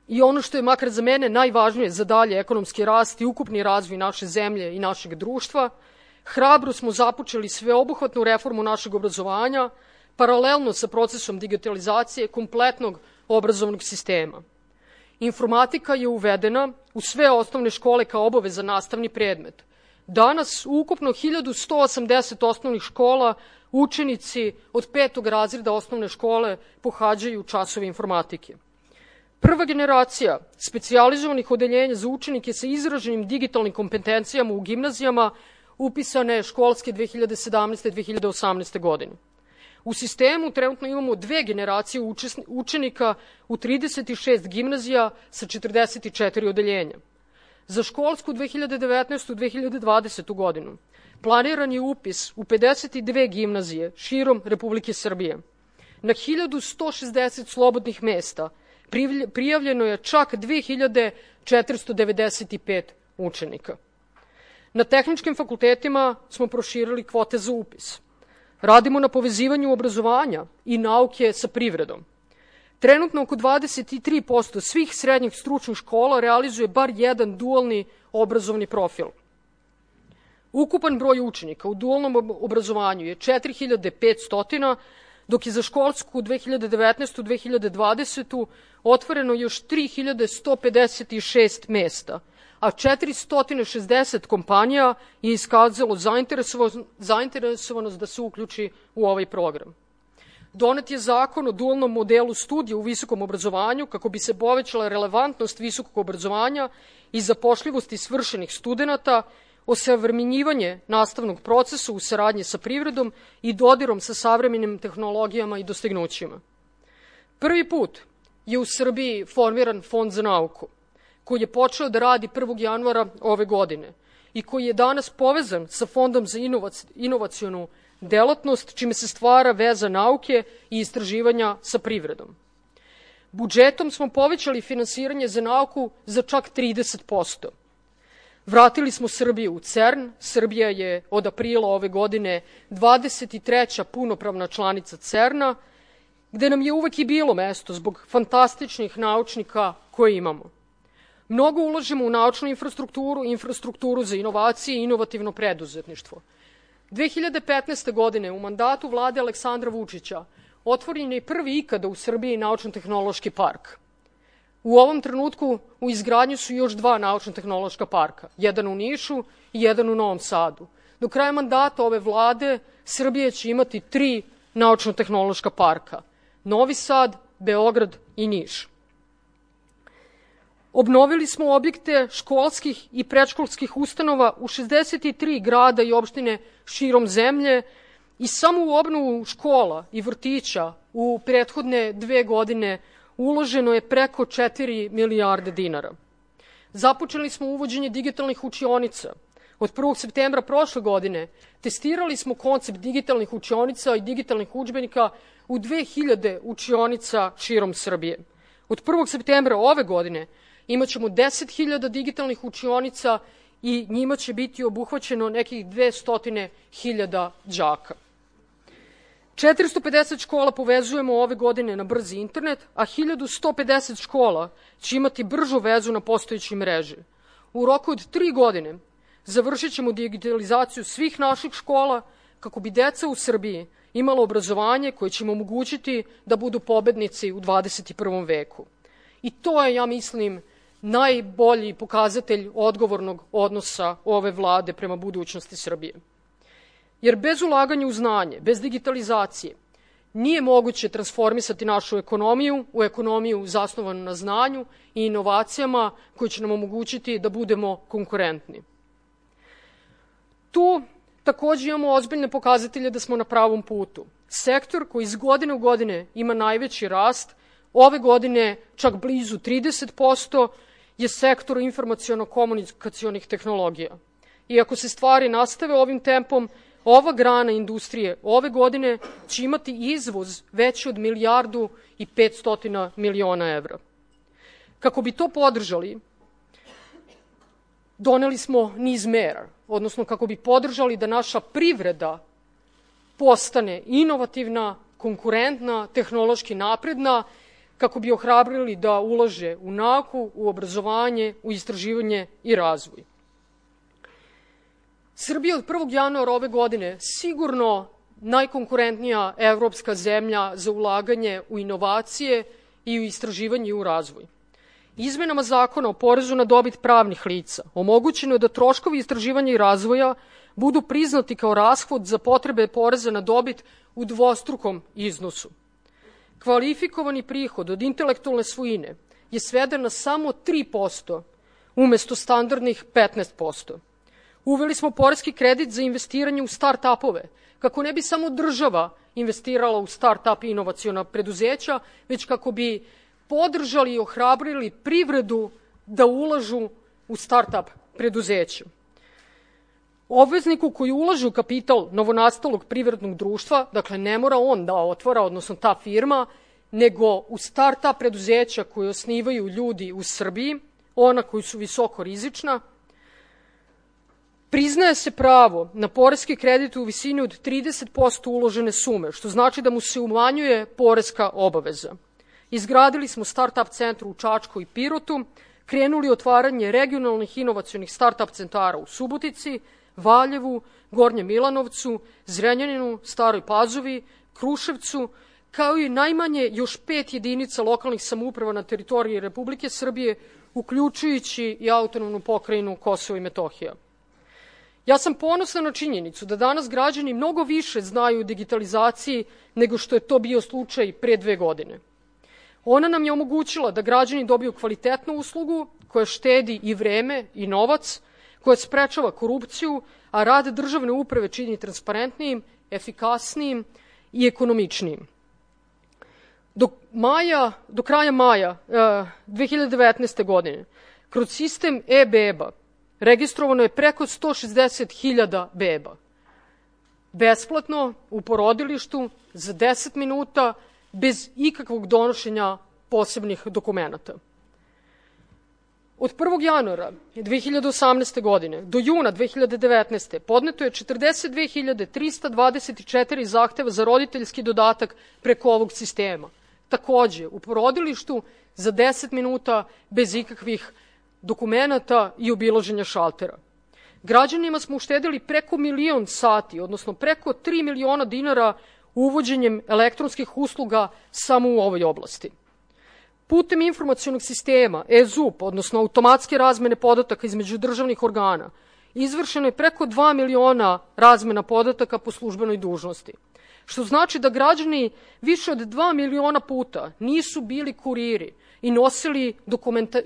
Speaker 2: i ono što je makar za mene najvažnije za dalje ekonomski rast i ukupni razvoj naše zemlje i našeg društva, hrabro smo započeli sveobuhvatnu reformu našeg obrazovanja, paralelno sa procesom digitalizacije kompletnog obrazovnog sistema. Informatika je uvedena u sve osnovne škole kao obavezan nastavni predmet. Danas u ukupno 1180 osnovnih škola učenici od 5. razreda osnovne škole pohađaju časove informatike. Prva generacija specijalizovanih odeljenja za učenike sa izraženim digitalnim kompetencijama u gimnazijama upisane je školske 2017-2018. godine. U sistemu trenutno imamo 2 generacije učenika u 36 gimnazija sa 44 odeljenja. Za školsku 2019-2020. godinu planiran je upis u 52 gimnazije širom Republike Srbije. Na 1160 slobodnih mesta prijavljeno je čak 2495 učenika. Na tehničkim fakultetima smo proširili kvote za upis. Radimo na povezivanju obrazovanja i nauke sa privredom. Trenutno oko 23% svih srednjih stručnih škola realizuje bar jedan dualni obrazovni profil. Ukupan broj učenika u dualnom obrazovanju je 4500, dok je za školsku 2019-2020 otvoreno još 3156 mesta, a 460 kompanija je iskazalo zainteresovanost da se uključi u ovaj program. Donet je zakon o dualnom modelu studija u visokom obrazovanju kako bi se povećala relevantnost visokog obrazovanja i zapošljivosti svršenih studenata, osavremenjivanje nastavnog procesa u saradnji sa privredom i dodirom sa savremenim tehnologijama i dostignućima. Prvi put je u Srbiji formiran Fond za nauku, koji je počeo da radi 1. januara ove godine i koji je danas povezan sa Fondom za inovacionu delatnost, čime se stvara veza nauke i istraživanja sa privredom. Budžetom smo povećali finansiranje za nauku za čak 30%. Vratili smo Srbiju u CERN. Srbija je od aprila ove godine 23. punopravna članica CERN-a, gde nam je uvek i bilo mesto zbog fantastičnih naučnika koje imamo. Mnogo ulažemo u naučnu infrastrukturu za inovacije i inovativno preduzetništvo. 2015. godine u mandatu vlade Aleksandra Vučića otvoren je prvi ikada u Srbiji naučno-tehnološki park. U ovom trenutku u izgradnji su još 2 naučno-tehnološka parka, jedan u Nišu i jedan u Novom Sadu. Do kraja mandata ove vlade Srbija će imati 3 naučno-tehnološka parka: Novi Sad, Beograd i Niš. Obnovili smo objekte školskih i predškolskih ustanova u 63 grada i opštine širom zemlje i samo u obnovu škola i vrtića u prethodne 2 godine uloženo je preko 4 milijarde dinara. Započeli smo uvođenje digitalnih učionica. Od 1. septembra prošle godine testirali smo koncept digitalnih učionica i digitalnih udžbenika u 2000 učionica širom Srbije. Od 1. septembra ove godine imaćemo 10.000 digitalnih učionica i njima će biti obuhvaćeno nekih 200.000 đaka. 450 škola povezujemo ove godine na brzi internet, a 1150 škola će imati bržu vezu na postojećoj mreži. U roku od 3 godine završit ćemo digitalizaciju svih naših škola kako bi deca u Srbiji imala obrazovanje koje će im omogućiti da budu pobednici u 21. veku. I to je, ja mislim, najbolji pokazatelj odgovornog odnosa ove vlade prema budućnosti Srbije. Jer bez ulaganja u znanje, bez digitalizacije, nije moguće transformisati našu ekonomiju u ekonomiju zasnovanu na znanju i inovacijama koje će nam omogućiti da budemo konkurentni. Tu takođe imamo ozbiljne pokazatelje da smo na pravom putu. Sektor koji iz godine u godine ima najveći rast, ove godine čak blizu 30%, je sektor informaciono-komunikacionih tehnologija. I ako se stvari nastave ovim tempom, ova grana industrije ove godine će imati izvoz veći od 1.500.000.000 evra. Kako bi to podržali, doneli smo niz mera, odnosno kako bi podržali da naša privreda postane inovativna, konkurentna, tehnološki napredna, kako bi ohrabrili da ulaže u nauku, u obrazovanje, u istraživanje i razvoj. Srbija od 1. januara ove godine sigurno najkonkurentnija evropska zemlja za ulaganje u inovacije i u istraživanje i u razvoj. Izmenama Zakona o porezu na dobit pravnih lica omogućeno je da troškovi istraživanja i razvoja budu priznati kao rashod za potrebe poreza na dobit u dvostrukom iznosu. Kvalifikovani prihod od intelektualne svojine je sveden na samo 3% umesto standardnih 15%. Uveli smo poreski kredit za investiranje u start-upove, kako ne bi samo država investirala u start-up i inovaciona preduzeća, već kako bi podržali i ohrabrili privredu da ulažu u start-up preduzeća. Obvezniku koji ulaže u kapital novonastalog privrednog društva, dakle ne mora on da otvara, odnosno ta firma, nego u start-up preduzeća koje osnivaju ljudi u Srbiji, ona koji su visoko rizična, priznaje se pravo na poreski kredit u visini od 30% uložene sume, što znači da mu se umanjuje poreska obaveza. Izgradili smo start-up centru u Čačku i Pirotu, krenuli otvaranje regionalnih inovacionih start-up centara u Subotici, Valjevu, Gornjem Milanovcu, Zrenjaninu, Staroj Pazovi, Kruševcu, kao i najmanje još 5 jedinica lokalnih samouprava na teritoriji Republike Srbije, uključujući i autonomnu pokrajinu Kosovo i Metohija. Ja sam ponosna na činjenicu da danas građani mnogo više znaju o digitalizaciji nego što je to bio slučaj pre 2 godine. Ona nam je omogućila da građani dobiju kvalitetnu uslugu koja štedi i vreme i novac, koja sprečava korupciju, a rad državne uprave čini transparentnijim, efikasnijim i ekonomičnijim. Do kraja maja 2019. godine kroz sistem e-beba registrovano je preko 160.000 beba. Besplatno, u porodilištu, za 10 minuta, bez ikakvog donošenja posebnih dokumenata. Od 1. januara 2018. godine do juna 2019. podneto je 42.324 zahteva za roditeljski dodatak preko ovog sistema. Takođe, u porodilištu za 10 minuta, bez ikakvih dokumenata i obilaženja šaltera. Građanima smo uštedili preko 1.000.000 sati, odnosno preko 3 miliona dinara uvođenjem elektronskih usluga samo u ovoj oblasti. Putem informacionog sistema e-ZUP, odnosno automatske razmene podataka između državnih organa, izvršeno je preko 2 miliona razmena podataka po službenoj dužnosti, što znači da građani više od 2 miliona puta nisu bili kuriri i nosili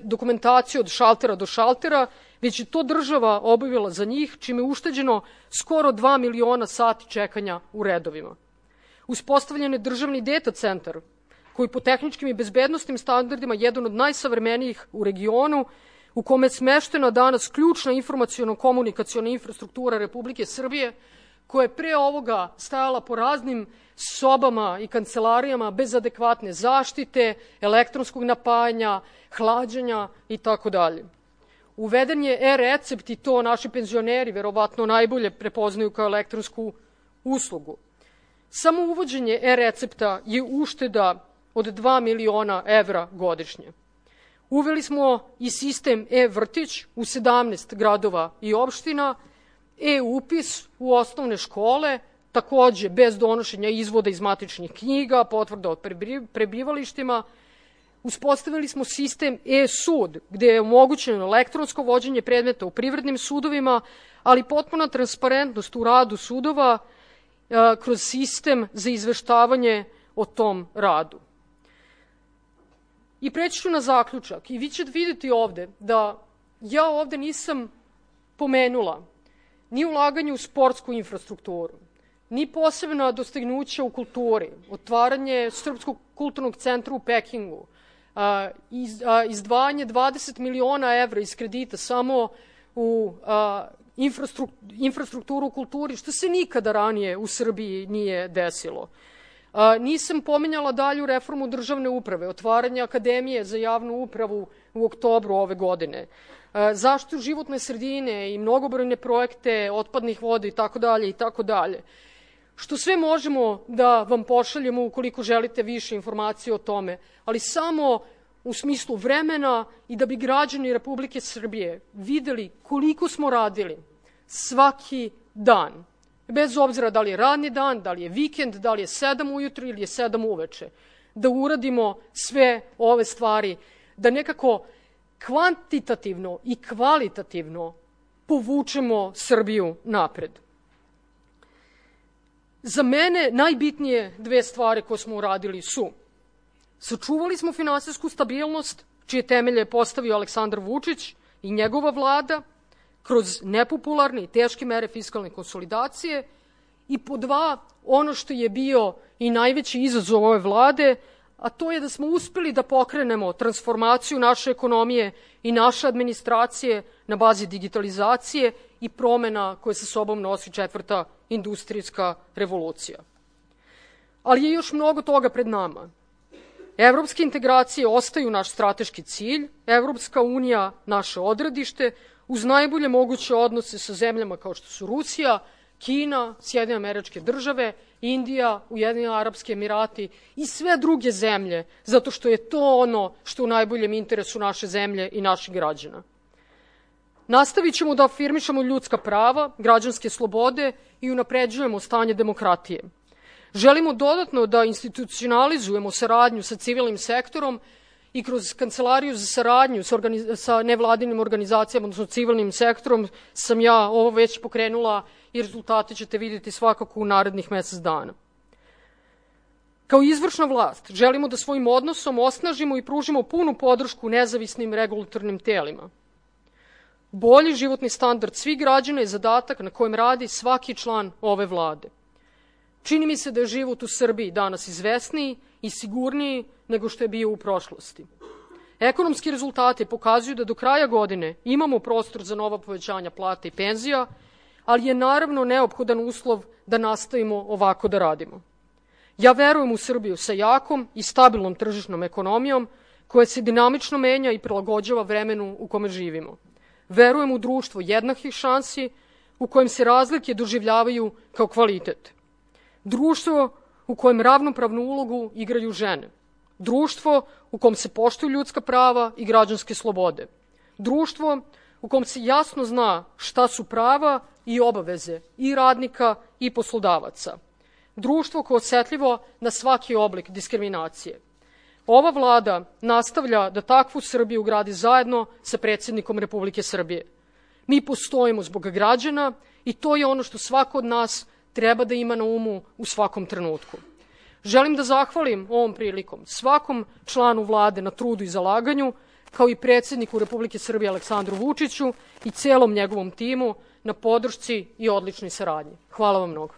Speaker 2: dokumentaciju od šaltera do šaltera, već je to država obavila za njih, čime je ušteđeno skoro 2 miliona sati čekanja u redovima. Uspostavljen je državni data centar, koji po tehničkim i bezbednostnim standardima je jedan od najsavremenijih u regionu, u kome je smeštena danas ključna informaciono-komunikaciona infrastruktura Republike Srbije, koja je pre ovoga stajala po raznim sobama i kancelarijama bez adekvatne zaštite, elektronskog napajanja, hlađenja itd. Uveden je e-recept i to naši penzioneri verovatno najbolje prepoznaju kao elektronsku uslugu. Samo uvođenje e-recepta je ušteda od 2 miliona evra godišnje. Uveli smo i sistem e-vrtić u 17 gradova i opština, e-upis u osnovne škole, takođe bez donošenja izvoda iz matičnih knjiga, potvrda o prebivalištima. Uspostavili smo sistem e-sud, gde je omogućeno elektronsko vođenje predmeta u privrednim sudovima, ali potpuna transparentnost u radu sudova kroz sistem za izveštavanje o tom radu. I preći ću na zaključak. I vi ćete vidjeti ovde da ja ovde nisam pomenula ni ulaganje u sportsku infrastrukturu, ni posebna dostignuća u kulturi, otvaranje Srpskog kulturnog centra u Pekingu, izdvajanje 20 miliona evra iz kredita samo u infrastrukturu u kulturi, što se nikada ranije u Srbiji nije desilo. Nisam pominjala dalju reformu državne uprave, otvaranje Akademije za javnu upravu u oktobru ove godine, zaštitu životne sredine i mnogobrojne projekte otpadnih voda itd. Što sve možemo da vam pošaljemo ukoliko želite više informacije o tome, ali samo u smislu vremena i da bi građani Republike Srbije videli koliko smo radili svaki dan, bez obzira da li je radni dan, da li je vikend, da li je 7 ujutru ili je 7 uveče, da uradimo sve ove stvari, da nekako kvantitativno i kvalitativno povučemo Srbiju napred. Za mene najbitnije dve stvari koje smo uradili su: sačuvali smo finansijsku stabilnost, čije temelje je postavio Aleksandar Vučić i njegova vlada kroz nepopularne i teške mere fiskalne konsolidacije, i po dva, ono što je bio i najveći izazov ove vlade, a to je da smo uspeli da pokrenemo transformaciju naše ekonomije i naše administracije na bazi digitalizacije i promena koje sa sobom nosi 4. industrijska revolucija. Ali je još mnogo toga pred nama. Evropske integracije ostaju naš strateški cilj, Evropska unija naše odredište, uz najbolje moguće odnose sa zemljama kao što su Rusija, Kina, Sjedinjene Američke Države, Indija, Ujedinjeni Arapski Emirati i sve druge zemlje, zato što je to ono što je u najboljem interesu naše zemlje i naših građana. Nastavit ćemo da afirmišemo ljudska prava, građanske slobode i unapređujemo stanje demokratije. Želimo dodatno da institucionalizujemo saradnju sa civilnim sektorom i kroz Kancelariju za saradnju sa nevladinim organizacijama, odnosno civilnim sektorom, sam ja ovo već pokrenula i rezultate ćete vidjeti svakako u narednih mesec dana. Kao izvršna vlast želimo da svojim odnosom osnažimo i pružimo punu podršku nezavisnim regulatornim telima. Bolji životni standard svih građana je zadatak na kojem radi svaki član ove vlade. Čini mi se da je život u Srbiji danas izvesniji i sigurniji nego što je bio u prošlosti. Ekonomski rezultati pokazuju da do kraja godine imamo prostor za nova povećanja plata i penzija, ali je naravno neophodan uslov da nastavimo ovako da radimo. Ja verujem u Srbiju sa jakom i stabilnom tržišnom ekonomijom koja se dinamično menja i prilagođava vremenu u kome živimo. Verujem u društvo jednakih šansi u kojem se razlike doživljavaju kao kvalitet. Društvo u kojem ravnopravnu ulogu igraju žene. Društvo u kom se poštuju ljudska prava i građanske slobode. Društvo u kom se jasno zna šta su prava i obaveze i radnika i poslodavaca. Društvo koje je osetljivo na svaki oblik diskriminacije. Ova vlada nastavlja da takvu Srbiju gradi zajedno sa predsjednikom Republike Srbije. Mi postojimo zbog građana i to je ono što svako od nas treba da ima na umu u svakom trenutku. Želim da zahvalim ovom prilikom svakom članu vlade na trudu i zalaganju, kao i predsjedniku Republike Srbije Aleksandru Vučiću i celom njegovom timu na podršci i odličnoj saradnji. Hvala vam mnogo.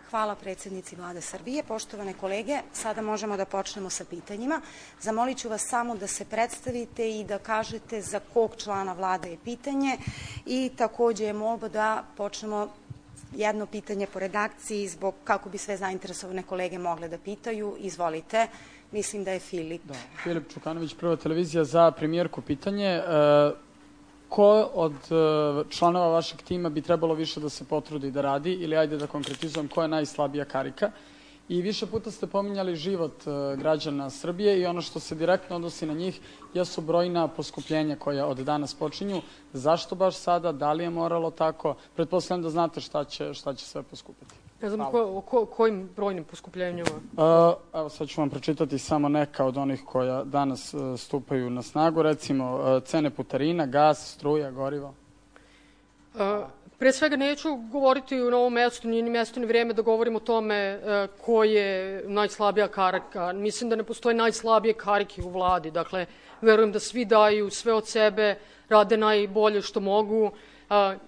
Speaker 1: Hvala predsjednici Vlade Srbije. Poštovane kolege, sada možemo da počnemo sa pitanjima. Zamolit ću vas samo da se predstavite i da kažete za kog člana vlade je pitanje i takođe je molba da počnemo jedno pitanje po redakciji zbog kako bi sve zainteresovane kolege mogle da pitaju. Izvolite, mislim da je Filip.
Speaker 3: Da, Filip Čukanović, Prva televizija, za premijerku pitanje. Ko od članova vašeg tima bi trebalo više da se potrudi da radi, ili ajde da konkretizujem, ko je najslabija karika? I više puta ste pominjali život građana Srbije i ono što se direktno odnosi na njih jesu brojna poskupljenja koja od danas počinju. Zašto baš sada? Da li je moralo tako? Pretpostavljam da znate šta će sve poskupiti.
Speaker 2: Ne znam o kojim brojnim poskupljenjima?
Speaker 3: Evo sad ću vam pročitati samo neka od onih koja danas stupaju na snagu. Recimo cene putarina, gas, struja, gorivo.
Speaker 2: Pre svega neću govoriti na ovom mestu, nije ni mesto ni vreme da govorim o tome ko je najslabija karika. Mislim da ne postoje najslabije karike u vladi. Dakle, verujem da svi daju sve od sebe, rade najbolje što mogu.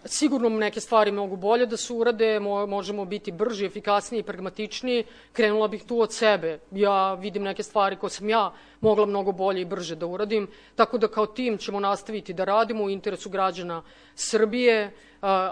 Speaker 2: Sigurno neke stvari mogu bolje da se urade, možemo biti brži, efikasniji i pragmatičniji. Krenula bih tu od sebe. Ja vidim neke stvari koje sam ja mogla mnogo bolje i brže da uradim, tako da kao tim ćemo nastaviti da radimo u interesu građana Srbije.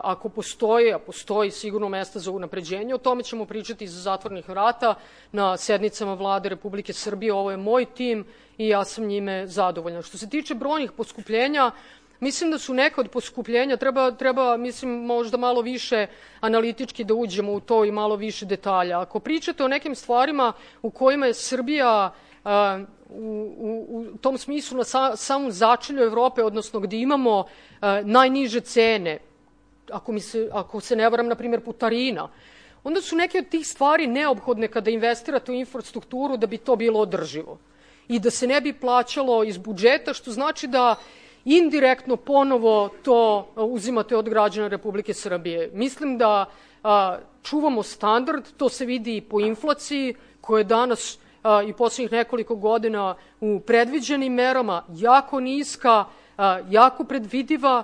Speaker 2: Ako postoji, a postoji sigurno mesta za unapređenje, o tome ćemo pričati iza zatvorenih vrata na sednicama Vlade Republike Srbije. Ovo je moj tim i ja sam njime zadovoljna. Što se tiče brojnih poskupljenja, mislim da su neka od poskupljenja, treba mislim, možda malo više analitički da uđemo u to i malo više detalja. Ako pričate o nekim stvarima u kojima je Srbija u tom smislu na samom začelju Evrope, odnosno gde imamo najniže cene, ako se ne varam, na primjer, putarina, onda su neke od tih stvari neophodne kada investirate u infrastrukturu da bi to bilo održivo i da se ne bi plaćalo iz budžeta, što znači da indirektno ponovo to uzimate od građana Republike Srbije. Mislim da čuvamo standard, to se vidi i po inflaciji koja je danas i posljednjih nekoliko godina u predviđenim merama jako niska, jako predvidiva,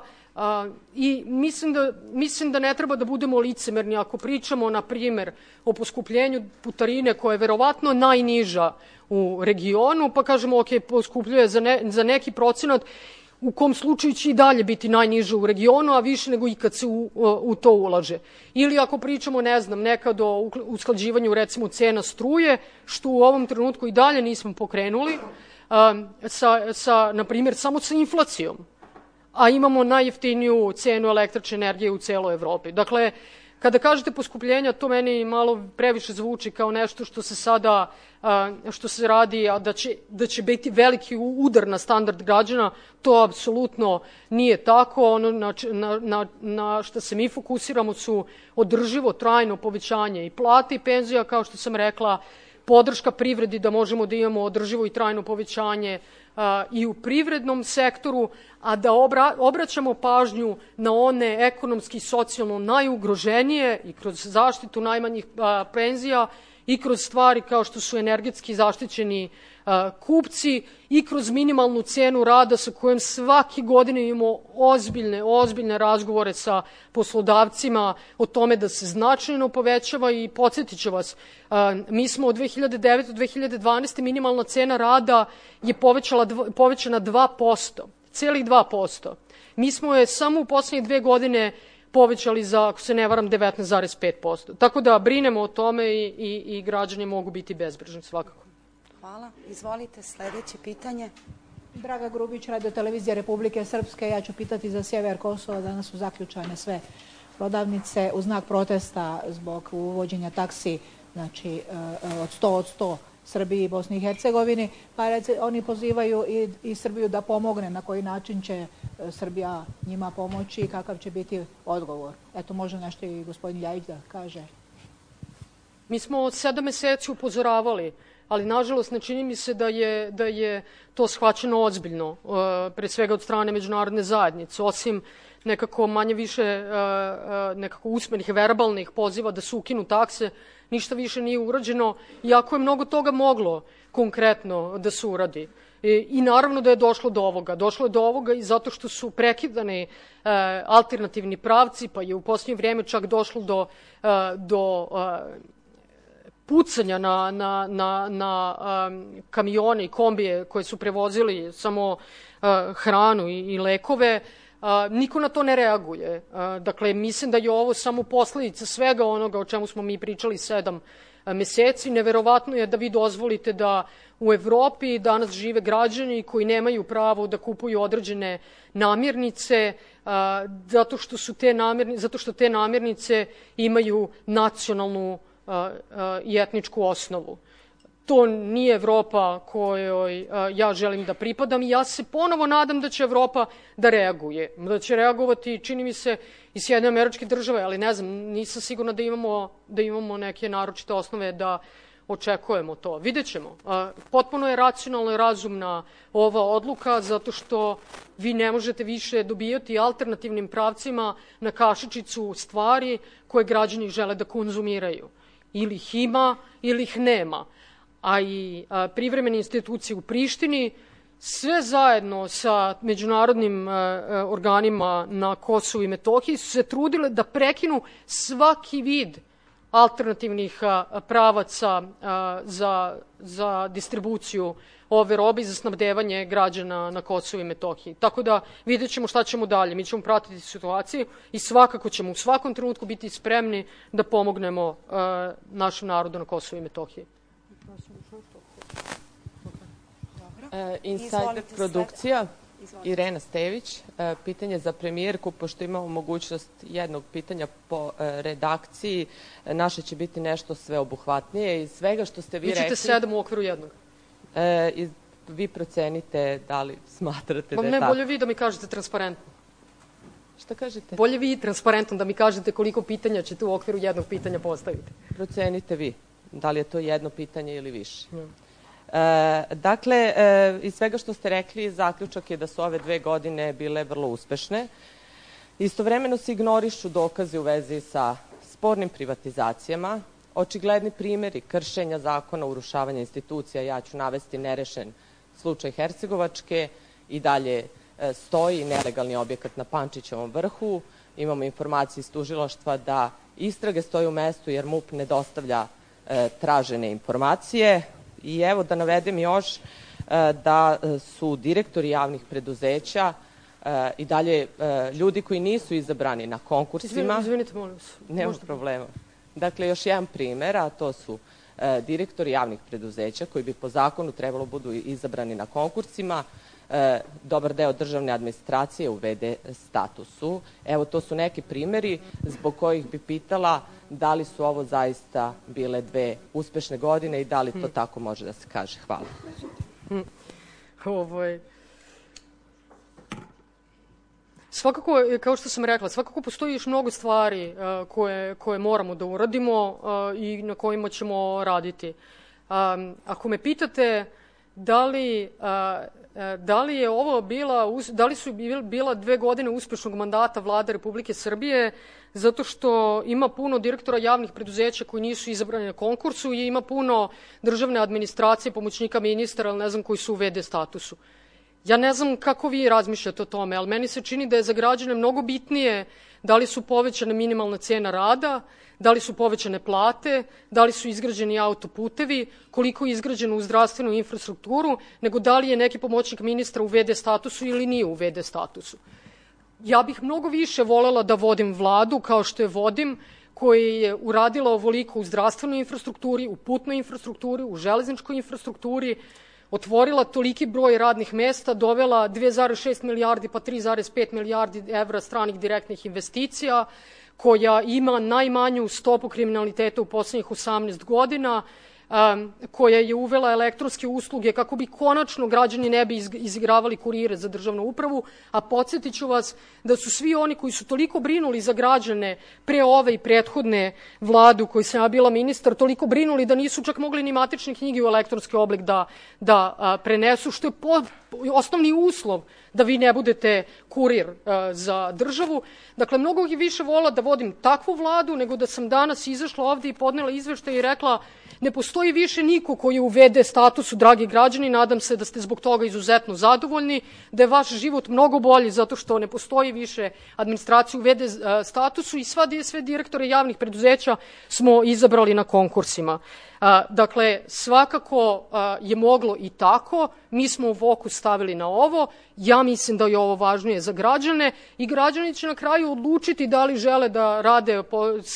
Speaker 2: i mislim da ne treba da budemo licemerni ako pričamo, na primjer, o poskupljenju putarine koja je verovatno najniža u regionu, pa kažemo ok, poskupljuje za neki procenat, u kom slučaju će i dalje biti najniže u regionu, a više nego i kad se u to ulaže. Ili ako pričamo, ne znam, nekad o usklađivanju recimo cena struje, što u ovom trenutku i dalje nismo pokrenuli, na primjer, samo sa inflacijom, a imamo najjeftiniju cenu električne energije u celoj Evropi. Dakle, kada kažete poskupljenja, to meni malo previše zvuči kao nešto što se radi, a da će biti veliki udar na standard građana. To apsolutno nije tako. Ono na što se mi fokusiramo su održivo, trajno povećanje i plate i penzija, kao što sam rekla, podrška privredi da možemo da imamo održivo i trajno povećanje i u privrednom sektoru, a da obraćamo pažnju na one ekonomski i socijalno najugroženije i kroz zaštitu najmanjih penzija i kroz stvari kao što su energetski zaštićeni kupci i kroz minimalnu cenu rada sa kojom svake godine imamo ozbiljne razgovore sa poslodavcima o tome da se značajno povećava. I podsjetit ću vas, mi smo od 2009. do 2012. minimalna cena rada je povećana 2%, celih 2%. Mi smo je samo u poslednje 2 godine povećali za, ako se ne varam, 19,5%. Tako da brinemo o tome i građani mogu biti bezbrižni svakako.
Speaker 1: Hvala. Izvolite, sledeće pitanje.
Speaker 4: Draga Grubić, Radio televizija Republike Srpske. Ja ću pitati za sjever Kosova. Danas su zaključane sve prodavnice u znak protesta zbog uvođenja taksi, znači od 100 Srbiji i Bosni i Hercegovini. Pa oni pozivaju i Srbiju da pomogne. Na koji način će Srbija njima pomoći i kakav će biti odgovor? Eto, može nešto i gospodin Ljajić da kaže.
Speaker 2: Mi smo od 7 meseci upozoravali, ali nažalost ne čini mi se da je to shvaćeno ozbiljno, pre svega od strane međunarodne zajednice, osim nekako manje više nekako usmenih, verbalnih poziva da se ukinu takse, ništa više nije urađeno, iako je mnogo toga moglo konkretno da se uradi. I naravno da je došlo do ovoga. Došlo je do ovoga i zato što su prekidani alternativni pravci, pa je u posljednje vrijeme čak došlo do pucanja na kamione i kombije koje su prevozili samo hranu i lekove. Niko na to ne reaguje. Dakle, mislim da je ovo samo posledica svega onoga o čemu smo mi pričali 7 meseci. Neverovatno je da vi dozvolite da u Evropi danas žive građani koji nemaju pravo da kupuju određene namirnice zato što te namirnice imaju nacionalnu i etničku osnovu. To nije Evropa kojoj ja želim da pripadam i ja se ponovo nadam da će Evropa da reaguje. Da će reagovati, čini mi se, i Sjedinjene Američke Države, ali ne znam, nisam sigurna da imamo neke naročite osnove da očekujemo to. Vidjet ćemo. Potpuno je racionalna i razumna ova odluka, zato što vi ne možete više dobijati alternativnim pravcima na kašičicu stvari koje građani žele da konzumiraju. Ili ih ima, ili ih nema. A i privremene institucije u Prištini sve zajedno sa međunarodnim organima na Kosovu i Metohiji su se trudile da prekinu svaki vid alternativnih pravaca za distribuciju ove robe i za snabdevanje građana na Kosovu i Metohiji. Tako da vidjet ćemo šta ćemo dalje. Mi ćemo pratiti situaciju i svakako ćemo u svakom trenutku biti spremni da pomognemo našem narodu na Kosovu i Metohiji.
Speaker 5: Insider produkcija, Irena Stević, pitanje za premijerku, pošto imamo mogućnost jednog pitanja po redakciji, naše će biti nešto sveobuhvatnije. Iz svega što ste vi rekli...
Speaker 2: Vi ćete 7 u okviru jednog.
Speaker 5: Vi procenite da li smatrate da je tako.
Speaker 2: Ne, bolje vi da mi kažete transparentno.
Speaker 5: Šta kažete?
Speaker 2: Bolje vi transparentno da mi kažete koliko pitanja ćete u okviru jednog pitanja postaviti.
Speaker 5: Procenite vi, da li je to jedno pitanje ili više. Dakle, iz svega što ste rekli, zaključak je da su ove 2 godine bile vrlo uspešne. Istovremeno se ignorišu dokazi u vezi sa spornim privatizacijama, očigledni primjeri kršenja zakona, urušavanja institucija. Ja ću navesti nerešen slučaj Hercegovačke, i dalje stoji nelegalni objekat na Pančićevom vrhu. Imamo informacije iz tužilaštva da istrage stoje u mestu jer MUP ne dostavlja tražene informacije. I evo da navedem još da su direktori javnih preduzeća i dalje ljudi koji nisu izabrani na konkursima.
Speaker 2: Izvinite, molim vas.
Speaker 5: Nema problema. Dakle, još jedan primer, a to su direktori javnih preduzeća koji bi po zakonu trebalo budu izabrani na konkursima. Dobar deo državne administracije u VD statusu. Evo, to su neki primjeri zbog kojih bi pitala da li su ovo zaista bile 2 uspešne godine i da li to tako može da se kaže. Hvala.
Speaker 2: Svakako, kao što sam rekla, svakako postoji još mnogo stvari koje moramo da uradimo i na kojima ćemo raditi. Ako me pitate da li je ovo da li su bila 2 godine uspešnog mandata Vlade Republike Srbije, zato što ima puno direktora javnih preduzeća koji nisu izabrani na konkursu i ima puno državne administracije, pomoćnika ministara, ali ne znam koji su u VD statusu. Ja ne znam kako vi razmišljate o tome, ali meni se čini da je za građane mnogo bitnije da li su povećane minimalna cena rada, da li su povećane plate, da li su izgrađeni autoputevi, koliko je izgrađeno u zdravstvenu infrastrukturu, nego da li je neki pomoćnik ministra u VD statusu ili nije u VD statusu. Ja bih mnogo više volela da vodim vladu kao što je vodim, koja je uradila ovoliko u zdravstvenoj infrastrukturi, u putnoj infrastrukturi, u železničkoj infrastrukturi, otvorila toliki broj radnih mesta, dovela 2,6 milijardi pa 3,5 milijardi evra stranih direktnih investicija, koja ima najmanju stopu kriminaliteta u poslednjih 18 godina, koja je uvela elektronske usluge kako bi konačno građani ne bi izigravali kurire za državnu upravu, a podsjetit ću vas da su svi oni koji su toliko brinuli za građane pre ove i prethodne vlade u kojoj sam ja bila ministar, toliko brinuli da nisu čak mogli ni matične knjige u elektronski oblik da prenesu, što je osnovni uslov da vi ne budete kurir za državu. Dakle, mnogo više vola da vodim takvu vladu nego da sam danas izašla ovde i podnela izveštaj i rekla ne postoji više niko koji je u VD statusu, dragi građani, nadam se da ste zbog toga izuzetno zadovoljni, da je vaš život mnogo bolji zato što ne postoji više administracija u VD statusu i sve direktore javnih preduzeća smo izabrali na konkursima. Dakle, svakako je moglo i tako. Mi smo fokus stavili na ovo. Ja mislim da je ovo važnije za građane i građani će na kraju odlučiti da li žele da rade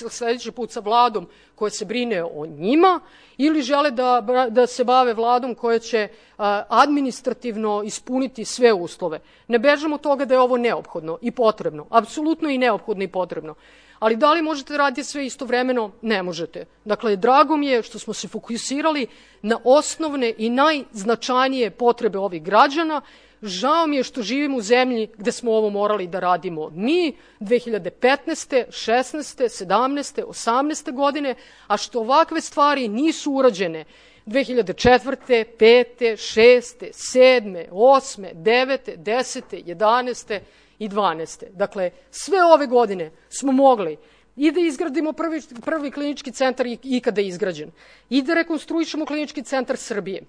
Speaker 2: sledeći put sa vladom koja se brine o njima ili žele da se bave vladom koja će administrativno ispuniti sve uslove. Ne bežamo od toga da je ovo neophodno i potrebno. Apsolutno i neophodno i potrebno. Ali da li možete raditi sve istovremeno? Ne možete. Dakle, drago mi je što smo se fokusirali na osnovne i najznačajnije potrebe ovih građana. Žao mi je što živimo u zemlji gde smo ovo morali da radimo mi 2015. 16. 17. 18. godine, a što ovakve stvari nisu urađene 2004. 5. 6. 7. 8. 9. 10. 11. i 12. Dakle, sve ove godine smo mogli i da izgradimo prvi klinički centar ikada izgrađen, i da rekonstruišemo klinički centar Srbije,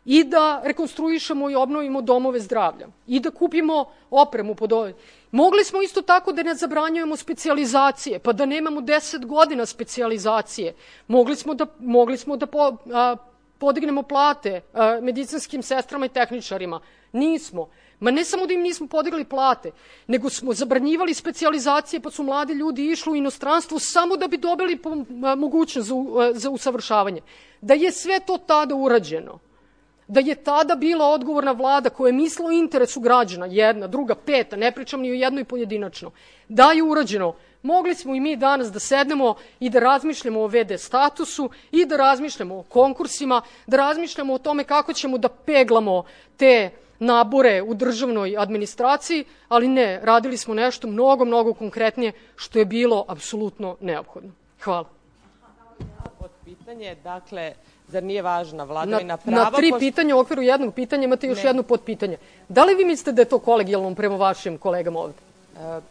Speaker 2: i da rekonstruišemo i obnovimo domove zdravlja i da kupimo opremu pod ove. Mogli smo isto tako da ne zabranjujemo specijalizacije, pa da nemamo 10 godina specijalizacije. Mogli smo da podignemo plate medicinskim sestrama i tehničarima. Nismo. Ma ne samo da im nismo podigli plate, nego smo zabranjivali specijalizacije, pa su mladi ljudi išli u inostranstvo samo da bi dobili mogućnost za usavršavanje. Da je sve to tada urađeno, da je tada bila odgovorna vlada koja je mislila o interesu građana, jedna, druga, peta, ne pričam ni o jednoj pojedinačno, da je urađeno, mogli smo i mi danas da sednemo i da razmišljamo o VD statusu i da razmišljamo o konkursima, da razmišljamo o tome kako ćemo da peglamo te nabore u državnoj administraciji, ali ne, radili smo nešto mnogo, mnogo konkretnije, što je bilo apsolutno neophodno. Hvala.
Speaker 5: Pod pitanje, dakle, zar nije važna vladavina prava?
Speaker 2: Na 3 pitanja u okviru jednog pitanja imate još jedno podpitanje. Da li vi mislite da je to kolegijalno prema vašim kolegama ovde?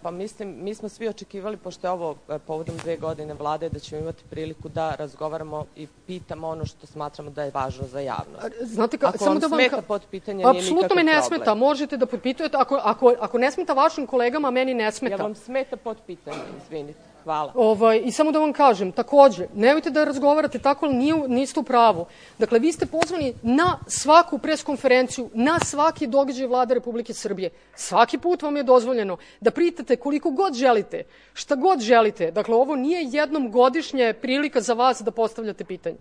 Speaker 5: Pa mislim, mi smo svi očekivali, pošto je ovo povodom 2 godine vlade, da ćemo imati priliku da razgovaramo i pitamo ono što smatramo da je važno za javnost.
Speaker 2: Znate,
Speaker 5: ako vam smeta podpitanje, nije nikakav problem.
Speaker 2: Apsolutno me ne smeta, možete da podpitujete. Ako ne smeta vašim kolegama, meni ne smeta.
Speaker 5: Ja vam smeta podpitanje, izvinite. Hvala.
Speaker 2: I samo da vam kažem, takođe, nemojte da razgovarate tako, ali niste u pravu. Dakle, vi ste pozvani na svaku preskonferenciju, na svaki događaj Vlade Republike Srbije. Svaki put vam je dozvoljeno da pritate koliko god želite, šta god želite. Dakle, ovo nije jednom godišnje prilika za vas da postavljate pitanje.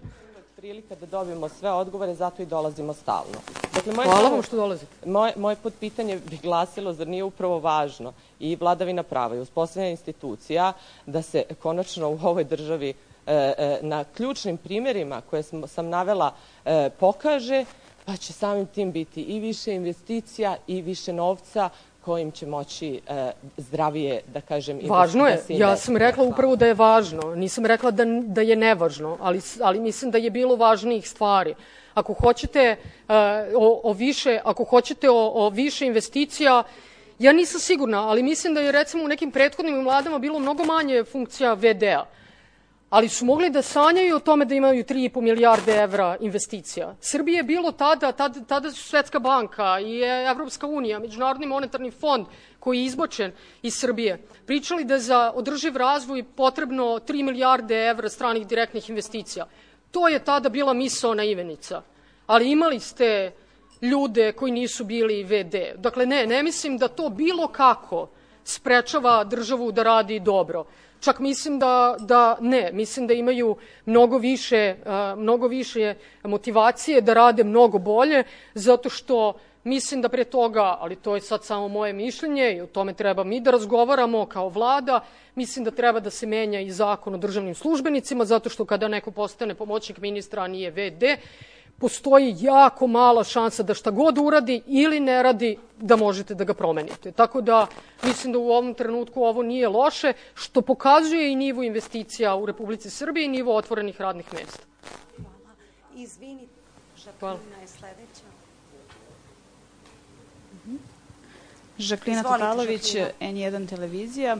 Speaker 5: Prilika da dobijemo sve odgovore, zato i dolazimo stalno. Dakle,
Speaker 2: hvala vam što dolazite.
Speaker 5: Moje podpitanje bi glasilo, zar nije upravo važno i vladavina prava i uspostavljanje institucija da se konačno u ovoj državi na ključnim primjerima koje sam navela pokaže, pa će samim tim biti i više investicija i više novca kojim će moći zdravije, da kažem...
Speaker 2: Važno je. Ja sam rekla upravo da je važno. Nisam rekla da je nevažno, ali mislim da je bilo važnijih stvari. Ako hoćete o više investicija, ja nisam sigurna, ali mislim da je recimo u nekim prethodnim vladama bilo mnogo manje funkcija VD-a. Ali su mogli da sanjaju o tome da imaju 3,5 milijarde evra investicija. Srbije je bilo tada su Svetska banka i Evropska unija, Međunarodni monetarni fond koji je izbačen iz Srbije. Pričali da je za održiv razvoj potrebno 3 milijarde evra stranih direktnih investicija. To je tada bila misaona imenica. Ali imali ste ljude koji nisu bili VD. Dakle, ne mislim da to bilo kako sprečava državu da radi dobro. Čak mislim mislim da imaju mnogo više motivacije da rade mnogo bolje, zato što mislim da pre toga, ali to je sad samo moje mišljenje i o tome treba mi da razgovaramo kao vlada, mislim da treba da se menja i zakon o državnim službenicima, zato što kada neko postane pomoćnik ministra, a nije VD, postoji jako mala šansa da šta god uradi ili ne radi, da možete da ga promenite. Tako da mislim da u ovom trenutku ovo nije loše, što pokazuje i nivo investicija u Republici Srbiji i nivo otvorenih radnih mesta.
Speaker 1: Hvala. Izvinite, Žaklina je sledeća.
Speaker 6: Žaklina Tatalović, N1 televizija.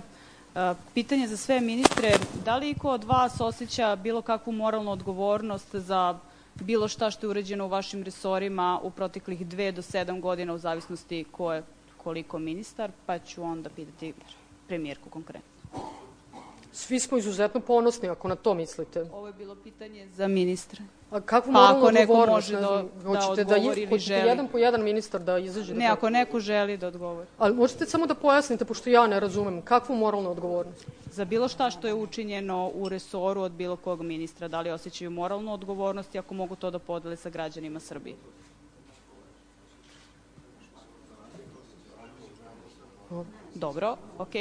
Speaker 6: Pitanje za sve ministre, da li iko od vas osjeća bilo kakvu moralnu odgovornost za bilo šta što je urađeno u vašim resorima u proteklih 2 do 7 godina, u zavisnosti ko je koliko ministar, pa ću onda pitati premijerku konkretno.
Speaker 2: Svi smo izuzetno ponosni, ako na to mislite.
Speaker 6: Ovo je bilo pitanje za ministra.
Speaker 2: A kakvu moralnu odgovornost?
Speaker 6: Hoćete da odgovori ili želi?
Speaker 2: Hoćete jedan po jedan ministar da izađe?
Speaker 6: Ne, ako neko želi da odgovori.
Speaker 2: Ali možete samo da pojasnite, pošto ja ne razumem, kakvu moralnu odgovornost?
Speaker 6: Za bilo šta što je učinjeno u resoru od bilo kog ministra, da li osjećaju moralnu odgovornost i ako mogu to da podele sa građanima Srbije? Dobro,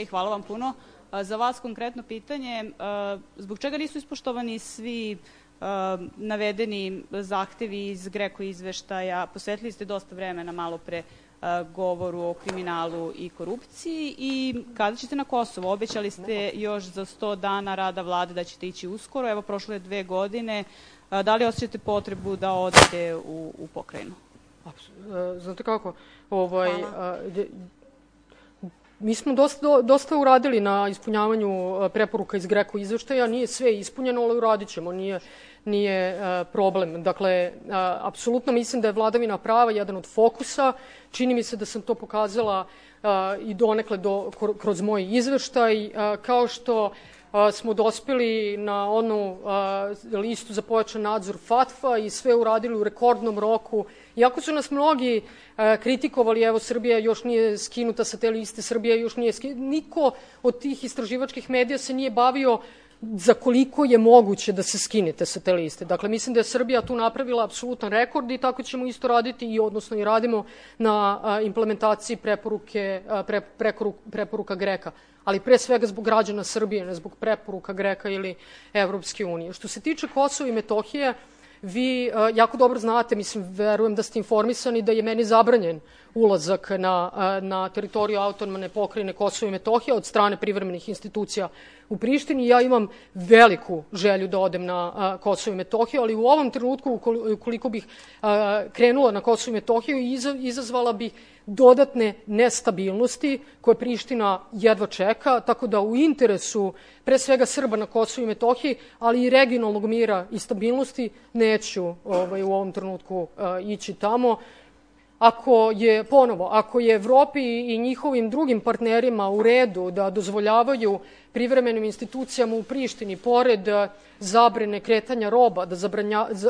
Speaker 6: hvala vam puno. Za vas konkretno pitanje, zbog čega nisu ispoštovani svi navedeni zahtevi iz GRECO izveštaja? Posvetili ste dosta vremena malo pre govoru o kriminalu i korupciji i kada ćete na Kosovo? Obećali ste još za 100 dana rada vlade da ćete ići uskoro. Evo, prošlo je 2 godine. Da li osjećate potrebu da odete u pokrajinu?
Speaker 2: Znate kako? Mi smo dosta uradili na ispunjavanju preporuka iz GRECO izveštaja, nije sve ispunjeno, ali uradit ćemo, nije problem. Dakle, apsolutno mislim da je vladavina prava jedan od fokusa. Čini mi se da sam to pokazala i donekle kroz moj izveštaj, kao što smo dospeli na onu listu za pojačan nadzor FATF-a i sve uradili u rekordnom roku. Iako su nas mnogi kritikovali, evo, Srbija još nije skinuta sa te liste, Srbija još nije skinuta, niko od tih istraživačkih medija se nije bavio za koliko je moguće da se skinete sa te liste. Dakle, mislim da je Srbija tu napravila apsolutan rekord i tako ćemo isto raditi odnosno i radimo na implementaciji preporuka GRECO-a, ali pre svega zbog građana Srbije, ne zbog preporuka GRECO-a ili Evropske unije. Što se tiče Kosova i Metohije, vi jako dobro znate, mislim, verujem da ste informisani da je meni zabranjen ulazak na teritoriju autonomne pokrajine Kosovo i Metohija od strane privremenih institucija u Prištini. Ja imam veliku želju da odem na Kosovo i Metohiju, ali u ovom trenutku, ukoliko bih krenula na Kosovo i Metohiju, izazvala bih dodatne nestabilnosti koje Priština jedva čeka, tako da u interesu pre svega Srba na Kosovu i Metohiji, ali i regionalnog mira i stabilnosti, neću u ovom trenutku ići tamo. Ako je Evropi i njihovim drugim partnerima u redu da dozvoljavaju privremenim institucijama u Prištini, pored zabrane kretanja roba, da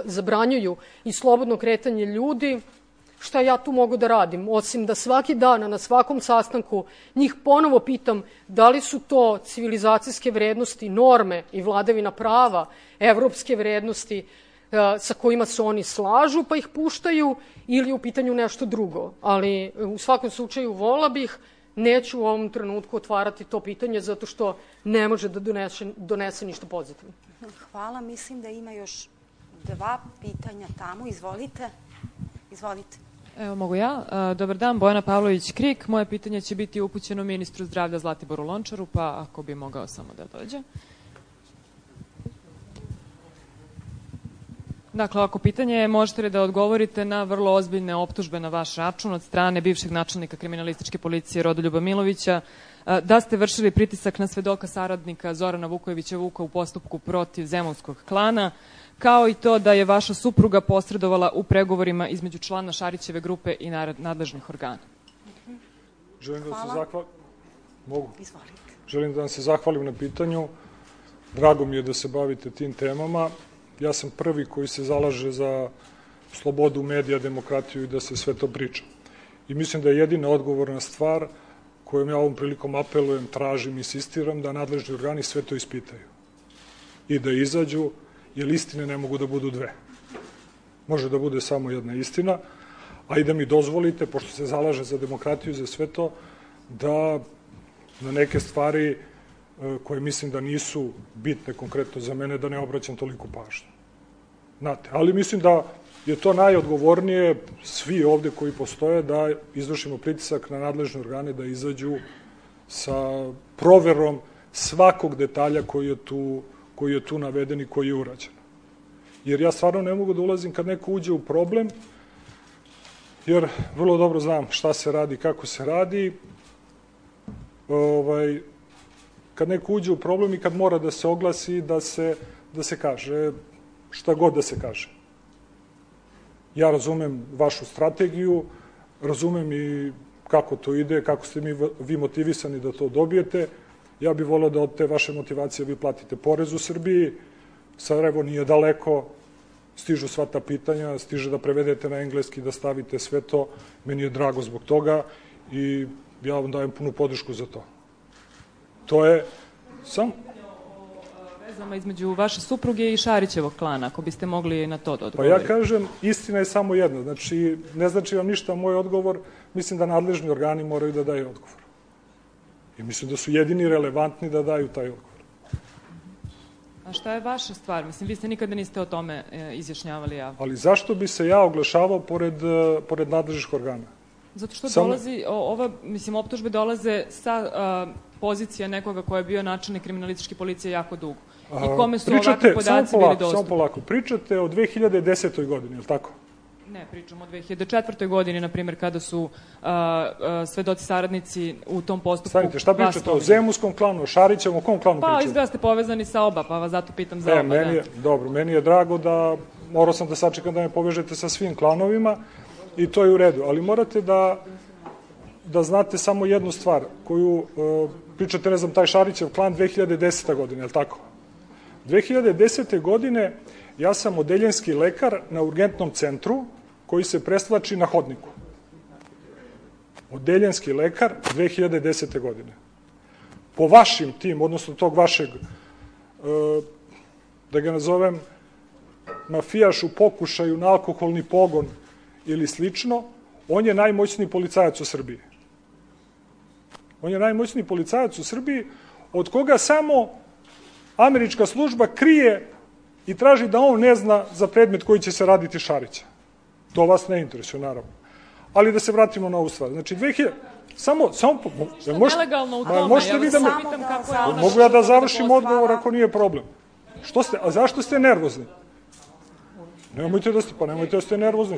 Speaker 2: zabranjuju i slobodno kretanje ljudi, šta ja tu mogu da radim, osim da svaki dan na svakom sastanku njih ponovo pitam da li su to civilizacijske vrednosti, norme i vladavina prava, evropske vrednosti sa kojima se oni slažu pa ih puštaju, ili u pitanju nešto drugo. Ali u svakom slučaju vola bih, neću u ovom trenutku otvarati to pitanje zato što ne može da donese ništa pozitivno.
Speaker 1: Hvala, mislim da ima još 2 pitanja tamo. Izvolite.
Speaker 7: Evo, mogu ja. Dobar dan, Bojana Pavlović-Krik. Moje pitanje će biti upućeno ministru zdravlja Zlatiboru Lončaru, pa ako bi mogao samo da dođe. Dakle, ovako pitanje je, možete li da odgovorite na vrlo ozbiljne optužbe na vaš račun od strane bivšeg načelnika kriminalističke policije Rodoljuba Milovića, da ste vršili pritisak na svedoka saradnika Zorana Vukojevića Vuka u postupku protiv Zemunskog klana, kao i to da je vaša supruga posredovala u pregovorima između člana Šarićeve grupe i nadležnih organa.
Speaker 8: Želim da vam se zahvalim na pitanju. Drago mi je da se bavite tim temama. Ja sam prvi koji se zalaže za slobodu medija, demokratiju i da se sve to priča. I mislim da je jedina odgovorna stvar kojom ja ovom prilikom apelujem, tražim, insistiram da nadležni organi sve to ispitaju i da izađu, jer istine ne mogu da budu 2. Može da bude samo jedna istina, a i da mi dozvolite, pošto se zalaže za demokratiju i za sve to, da na neke stvari koje mislim da nisu bitne konkretno za mene, da ne obraćam toliko pažnju. Znate, ali mislim da je to najodgovornije, svi ovde koji postoje, da izvršimo pritisak na nadležne organe da izađu sa proverom svakog detalja koji je tu naveden i koji je urađen. Jer ja stvarno ne mogu da ulazim kad neko uđe u problem, jer vrlo dobro znam šta se radi, kako se radi, kad neko uđe u problem i kad mora da se oglasi, da se kaže šta god da se kaže. Ja razumem vašu strategiju, razumem i kako to ide, kako ste vi motivisani da to dobijete. Ja bih voleo da od te vaše motivacije vi platite porez u Srbiji. Sarajevo nije daleko, stižu sva ta pitanja, stiže da prevedete na engleski, da stavite sve to. Meni je drago zbog toga i ja vam dajem punu podršku za to. To je sam...
Speaker 7: Vezama između vaše supruge i Šarićevog klana, ako biste mogli na to da odgovorite.
Speaker 8: Pa ja kažem, istina je samo jedna. Znači, ne znači vam ništa moj odgovor. Mislim da nadležni organi moraju da daju odgovor. I mislim da su jedini relevantni da daju taj odgovor.
Speaker 7: A šta je vaša stvar? Mislim, vi ste nikada niste o tome izjašnjavali javno.
Speaker 8: Ali zašto bi se ja oglašavao pored nadležnih organa?
Speaker 7: Zato što dolazi, optužbe dolaze sa pozicija nekoga ko je bio načelnik kriminalističke policije jako dugo. I kome su ovakvi podaci bili dostupni.
Speaker 8: Samo polako. Pričate o 2010. godini, je li tako?
Speaker 7: Ne, pričamo o 2004. godini, na primjer, kada su svedoci saradnici u tom postupku.
Speaker 8: Stanite, šta pričate o Zemunskom klanu, o Šarićevom, o kom klanu pričate?
Speaker 7: Pa, izgleda ste povezani sa oba, pa vas zato pitam za oba.
Speaker 8: Dobro, meni je drago da, morao sam da sačekam da me povežete sa svim klanovima i to je u redu, ali morate da znate samo jednu stvar, koju pričate, ne znam, taj Šarićev klan 2010. godine, je li tako? 2010. godine ja sam odeljenski lekar na urgentnom centru koji se presvlači na hodniku. Odeljenski lekar 2010. godine. Po vašim tim, odnosno tog vašeg, da ga nazovem, mafijaš u pokušaju na alkoholni pogon ili slično, on je najmoćniji policajac u Srbiji. On je najmoćniji policajac u Srbiji, od koga samo američka služba krije i traži da on ne zna za predmet koji će se raditi Šarića. To vas ne interesuje, naravno. Ali da se vratimo na ovu stvar. Znači, 2000... Samo...
Speaker 7: Što je nelegalno u tome? Ja vas pitam kako je ona...
Speaker 8: Mogu ja da završim odgovor ako nije problem. A zašto ste nervozni? Nemojte da ste nervozni.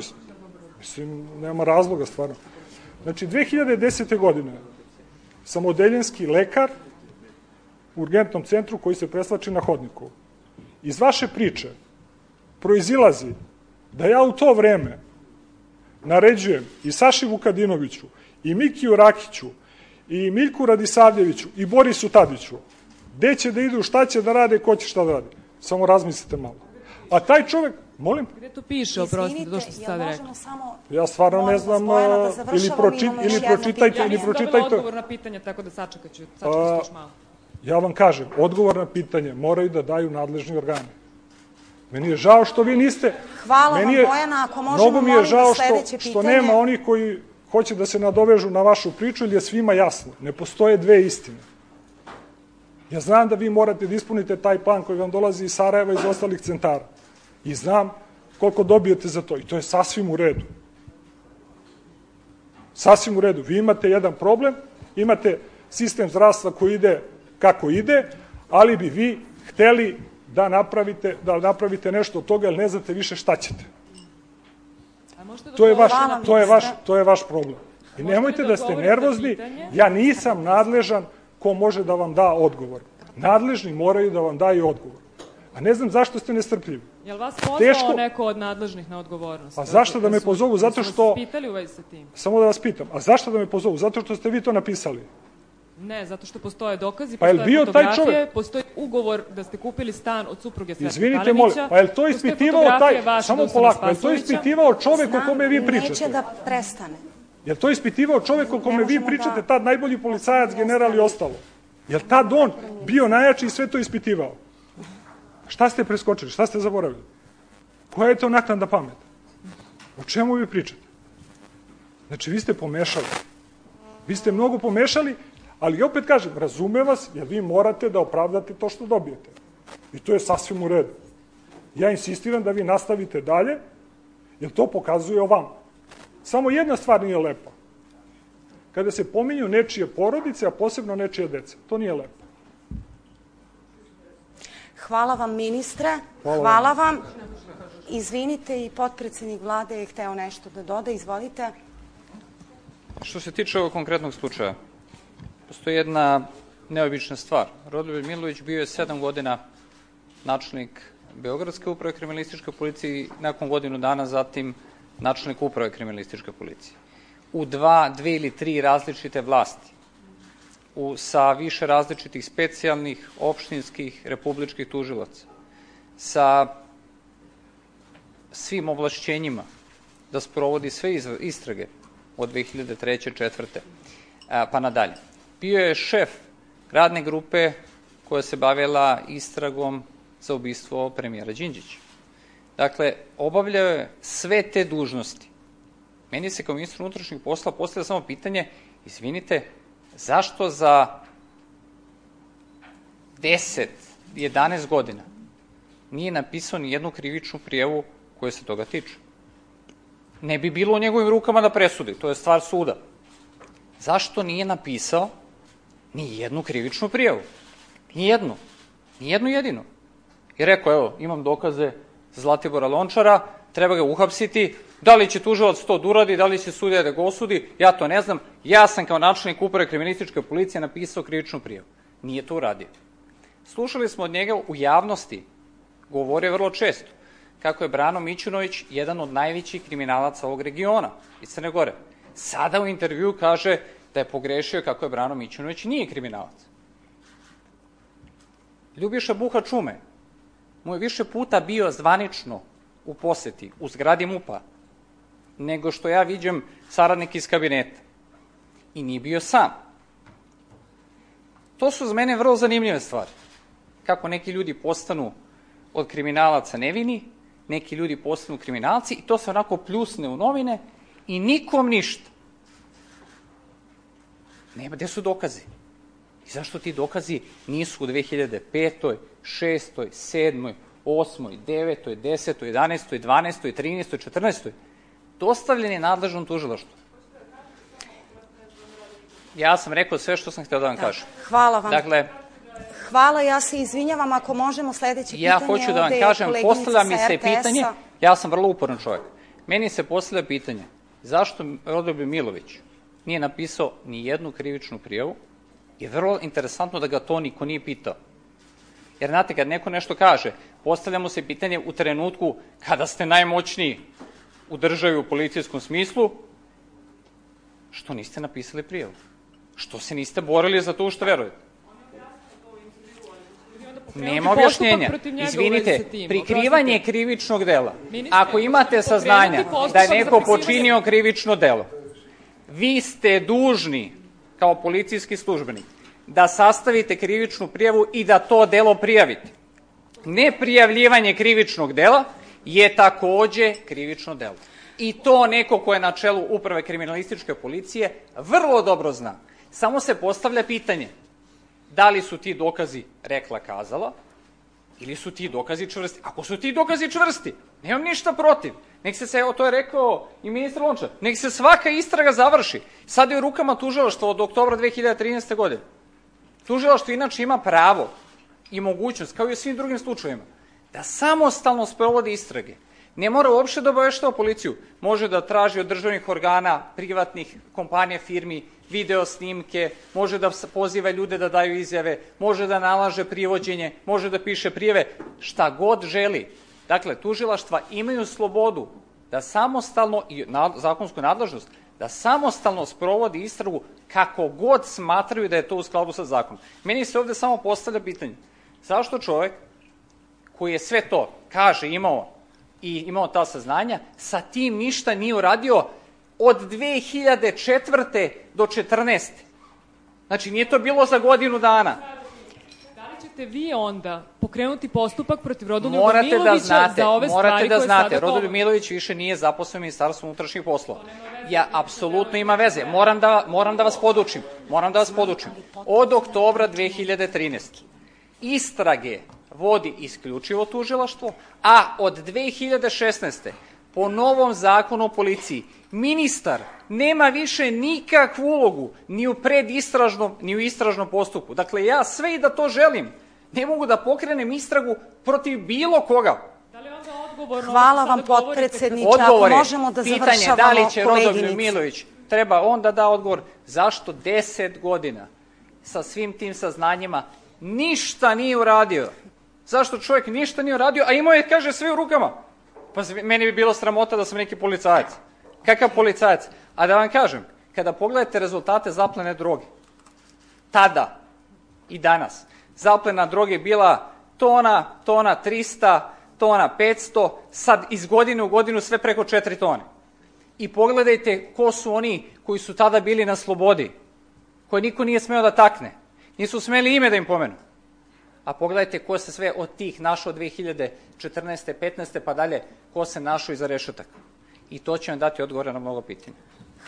Speaker 8: Mislim, nema razloga, stvarno. Znači, 2010. godine sam odeljenski lekar u urgentnom centru koji se presvlači na hodniku. Iz vaše priče proizilazi da ja u to vreme naređujem i Saši Vukadinoviću, i Mikiju Rakiću, i Miljku Radisavljeviću, i Borisu Tadiću, gde će da idu, šta će da rade, ko će šta da radi. Samo razmislite malo. A taj čovek, molim?
Speaker 7: Gde to piše, oprostite, to što ste sad rekli?
Speaker 8: Ja stvarno ne znam, ili pročitajte.
Speaker 7: Ja nisam dobila odgovor na pitanje, tako da sačekat ću još malo.
Speaker 8: Ja vam kažem, odgovor na pitanje moraju da daju nadležni organi. Meni je žao što vi niste...
Speaker 1: Hvala vam, Bojana, ako možemo molim da sledeće pitanje...
Speaker 8: Što nema onih koji hoće da se nadovežu na vašu priču, ili je svima jasno. Ne postoje dve istine. Ja znam da vi morate da ispunite taj plan koji vam dolazi iz Sarajeva i iz ostalih centara. I znam koliko dobijete za to. I to je sasvim u redu. Sasvim u redu. Vi imate jedan problem, imate sistem zdravstva koji ide kako ide, ali bi vi hteli da napravite nešto od toga, jer ne znate više šta ćete. To je vaš problem. I nemojte da ste nervozni, ja nisam nadležan ko može da vam da odgovor. Nadležni moraju da vam daju odgovor. A ne znam zašto ste nestrpljivi.
Speaker 7: Je li vas pozvao neko od nadležnih na odgovornost?
Speaker 8: A zašto da me pozovu? Zato što...
Speaker 7: Vas pitali u vezi sa tim?
Speaker 8: Samo da vas pitam. A zašto da me pozovu? Zato što ste vi to napisali?
Speaker 7: Ne, zato što postoje dokazi, postoje fotografije, postoji ugovor da ste kupili stan od supruge Svetka Kalinića.
Speaker 8: Izvinite, molim, pa je li to ispitivao taj... Samo polako, je li to ispitivao čovek o kome vi pričate?
Speaker 1: Neće da prestane.
Speaker 8: Je li to ispitivao čovek o kome vi pričate, tad najbolji policajac, general i ostalo? Je li tad on bio najjači i sve to ispitivao? Šta ste preskočili? Šta ste zaboravili? Koja je to naknadna pamet? O čemu vi pričate? Znači, vi ste pomešali. Vi ste mnogo pomešali, ali opet kažem, razume vas, jer vi morate da opravdate to što dobijete. I to je sasvim u redu. Ja insistiram da vi nastavite dalje, jer to pokazuje o vama. Samo jedna stvar nije lepa. Kada se pominju nečije porodice, a posebno nečije dece. To nije lepo.
Speaker 1: Hvala vam, ministre. Hvala vam. Izvinite, i potpredsednik vlade je hteo nešto da doda. Izvolite.
Speaker 9: Što se tiče ovog konkretnog slučaja, postoji jedna neobična stvar. Rodoljub Milović bio je 7 godina načelnik Beogradske uprave kriminalističke policije i nakon godinu dana zatim načelnik uprave kriminalističke policije. U dve ili tri različite vlasti, sa više različitih specijalnih, opštinskih, republičkih tužilaca, sa svim ovlašćenjima da sprovodi sve istrage od 2003. 2004. Pa nadalje. Bio je šef radne grupe koja se bavila istragom za ubistvo premijera Đinđića. Dakle, obavljao je sve te dužnosti. Meni se kao ministru unutrašnjih posla postavlja samo pitanje, izvinite, zašto za 10, 11 godina nije napisao ni jednu krivičnu prijavu koja se toga tiče? Ne bi bilo u njegovim rukama da presudi, to je stvar suda. Zašto nije napisao ni jednu krivičnu prijavu? Ni jednu jedinu. I rekao, evo, imam dokaze za Zlatibora Lončara, treba ga uhapsiti, Da li će tužilac to da uradi, da li će sudija da ga osudi, ja to ne znam. Ja sam kao načelnik uprave kriminalističke policije napisao krivičnu prijavu. Nije to uradio. Slušali smo od njega u javnosti, govorio vrlo često, kako je Brano Mićunović jedan od najvećih kriminalaca ovog regiona iz Crne Gore. Sada u intervju kaže da je pogrešio kako je Brano Mićunović nije kriminalac. Ljubiša Buha Čume mu je više puta bio zvanično u poseti, u zgradi MUP-a, nego što ja viđam saradnik iz kabineta. I nije bio sam. To su za mene vrlo zanimljive stvari. Kako neki ljudi postanu od kriminalaca nevini, neki ljudi postanu kriminalci i to se onako pljusne u novine i nikom ništa. Nema, gde su dokazi? I zašto ti dokazi nisu u 2005., 6., 7., 8., 9., 10., 11., 12., 13., 14. dostavljeni nadležnom tužilaštvu? Ja sam rekao sve što sam htio da vam kažem.
Speaker 1: Hvala vam.
Speaker 9: Dakle,
Speaker 1: hvala, ja se izvinjavam, ako možemo sledeće pitanje.
Speaker 9: Ja hoću da vam kažem, postavlja mi se pitanje, ja sam vrlo uporan čovjek, meni se postavlja pitanje zašto Rodoljub Milović nije napisao ni jednu krivičnu prijavu i vrlo interesantno da ga to niko nije pitao. Jer znate, kad neko nešto kaže, postavljamo se pitanje u trenutku kada ste najmoćniji u državi u policijskom smislu, što niste napisali prijavu? Što se niste borili za to u što verujete? Nema objašnjenja. Izvinite, prikrivanje krivičnog dela. Ako imate saznanja da je neko počinio krivično delo, vi ste dužni, kao policijski službenik, da sastavite krivičnu prijavu i da to delo prijavite. Neprijavljivanje krivičnog dela je takođe krivično delo. I to neko ko je na čelu uprave kriminalističke policije vrlo dobro zna. Samo se postavlja pitanje da li su ti dokazi rekla kazala ili su ti dokazi čvrsti. Ako su ti dokazi čvrsti, nemam ništa protiv. Nek se, to je rekao i ministar Lončar, nek se svaka istraga završi. Sada je u rukama tužilaštva od oktobra 2013. godine. Tužilaštvo inače ima pravo i mogućnost, kao i u svim drugim slučajevima, da samostalno sprovodi istrage. Ne mora uopšte da obaveštava policiju. Može da traži od državnih organa, privatnih kompanija, firmi, video snimke, može da poziva ljude da daju izjave, može da nalaže privođenje, može da piše prijave, šta god želi. Dakle, tužilaštva imaju slobodu da samostalno, i zakonsku nadležnost, da samostalno sprovodi istragu kako god smatraju da je to u skladu sa zakonom. Meni se ovde samo postavlja pitanje, zašto čovek koji je sve to, kaže, imao ta saznanja, sa tim ništa nije uradio od 2004. do 2014. Znači, nije to bilo za godinu dana.
Speaker 7: Da li ćete vi onda pokrenuti postupak protiv Rodoljuba Milovića za ove stvari koje sada
Speaker 9: Morate da znate, Rodoljub Milović više nije zaposlen u Ministarstvu unutrašnjih poslova. Ja, apsolutno ima veze. Moram da vas podučim. Od oktobra 2013. istrage vodi isključivo tužilaštvo, a od 2016. po novom zakonu o policiji ministar nema više nikakvu ulogu ni u predistražnom, ni u istražnom postupku. Dakle, ja sve i da to želim, ne mogu da pokrenem istragu protiv bilo koga.
Speaker 1: Hvala vam, potpredsedniče. Ako možemo da završavamo, koleginice.
Speaker 9: Pitanje, da li će Rodoljub Milović, treba on da da odgovor, zašto 10 godina sa svim tim saznanjima ništa nije uradio? Zašto čovjek ništa nije uradio, a imao je, kaže, sve u rukama? Pa meni bi bilo sramota da sam neki policajac. Kakav policajac? A da vam kažem, kada pogledate rezultate zaplene droge, tada i danas, zaplena droge je bila tona 300, tona 500, sad iz godine u godinu sve preko 4 tone. I pogledajte ko su oni koji su tada bili na slobodi, koje niko nije smeo da takne. Nisu smeli ime da im pomenu. A pogledajte ko se sve od tih našao 2014. 15. pa dalje, ko se našao iza rešetaka. I to će vam dati odgovore na mnogo pitanja.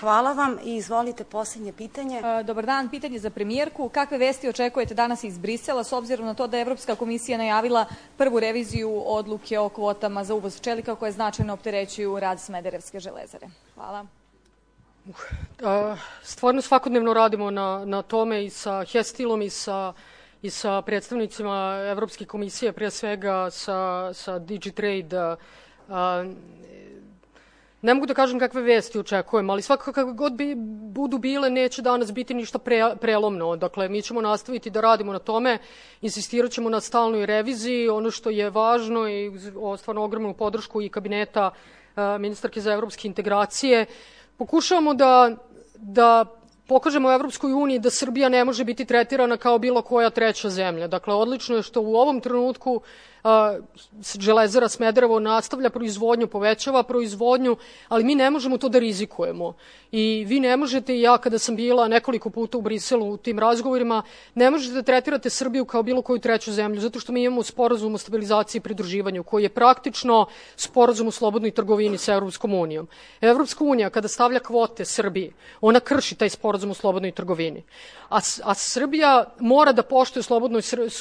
Speaker 1: Hvala vam i izvolite posljednje pitanje.
Speaker 10: Dobar dan, pitanje za premijerku. Kakve vesti očekujete danas iz Brisela s obzirom na to da je Evropska komisija najavila prvu reviziju odluke o kvotama za uvoz čelika koje značajno opterećuju rad Smederevske železare? Hvala.
Speaker 2: Stvarno svakodnevno radimo na tome i sa Hestilom i sa predstavnicima Evropske komisije, pre svega sa Digitrade. Ne mogu da kažem kakve vesti očekujem, ali svakako kako god budu bile, neće danas biti ništa prelomno. Dakle, mi ćemo nastaviti da radimo na tome, insistirat ćemo na stalnoj reviziji, ono što je važno i stvarno ogromnu podršku i kabineta ministarke za evropske integracije. Pokušavamo da pokažemo Evropskoj uniji da Srbija ne može biti tretirana kao bilo koja treća zemlja. Dakle, odlično je što u ovom trenutku Železara Smederevo nastavlja proizvodnju, povećava proizvodnju, ali mi ne možemo to da rizikujemo. I vi ne možete, i ja kada sam bila nekoliko puta u Briselu u tim razgovorima, ne možete da tretirate Srbiju kao bilo koju treću zemlju, zato što mi imamo sporazum o stabilizaciji i pridruživanju, koji je praktično sporazum o slobodnoj trgovini sa Evropskom unijom. Evropska unija, kada stavlja kvote Srbiji, ona krši taj sporazum o slobodnoj trgovini. A Srbija mora da poštuje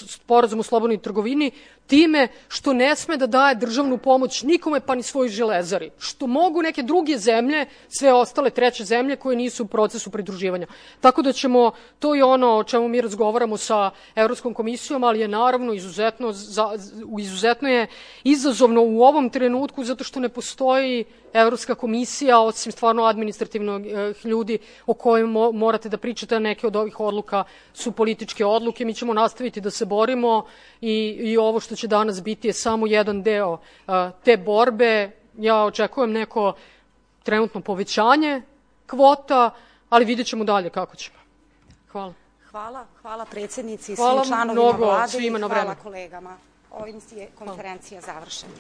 Speaker 2: sporazum o slobodnoj trgovini time što ne sme da daje državnu pomoć nikome, pa ni svojoj Železari. Što mogu neke druge zemlje, sve ostale treće zemlje koje nisu u procesu pridruživanja. Tako da ćemo, to je ono o čemu mi razgovaramo sa Evropskom komisijom, ali je naravno izuzetno je izazovno u ovom trenutku, zato što ne postoji Evropska komisija, osim stvarno administrativnog ljudi o kojima morate da pričate, a neke od ovih odluka su političke odluke. Mi ćemo nastaviti da se borimo i ovo što će danas biti je samo jedan deo te borbe. Ja očekujem neko trenutno povećanje kvota, ali vidjet ćemo dalje kako ćemo. Hvala.
Speaker 1: Hvala predsjednici i svim članovima vlade i hvala kolegama. Ovim je konferencija završena.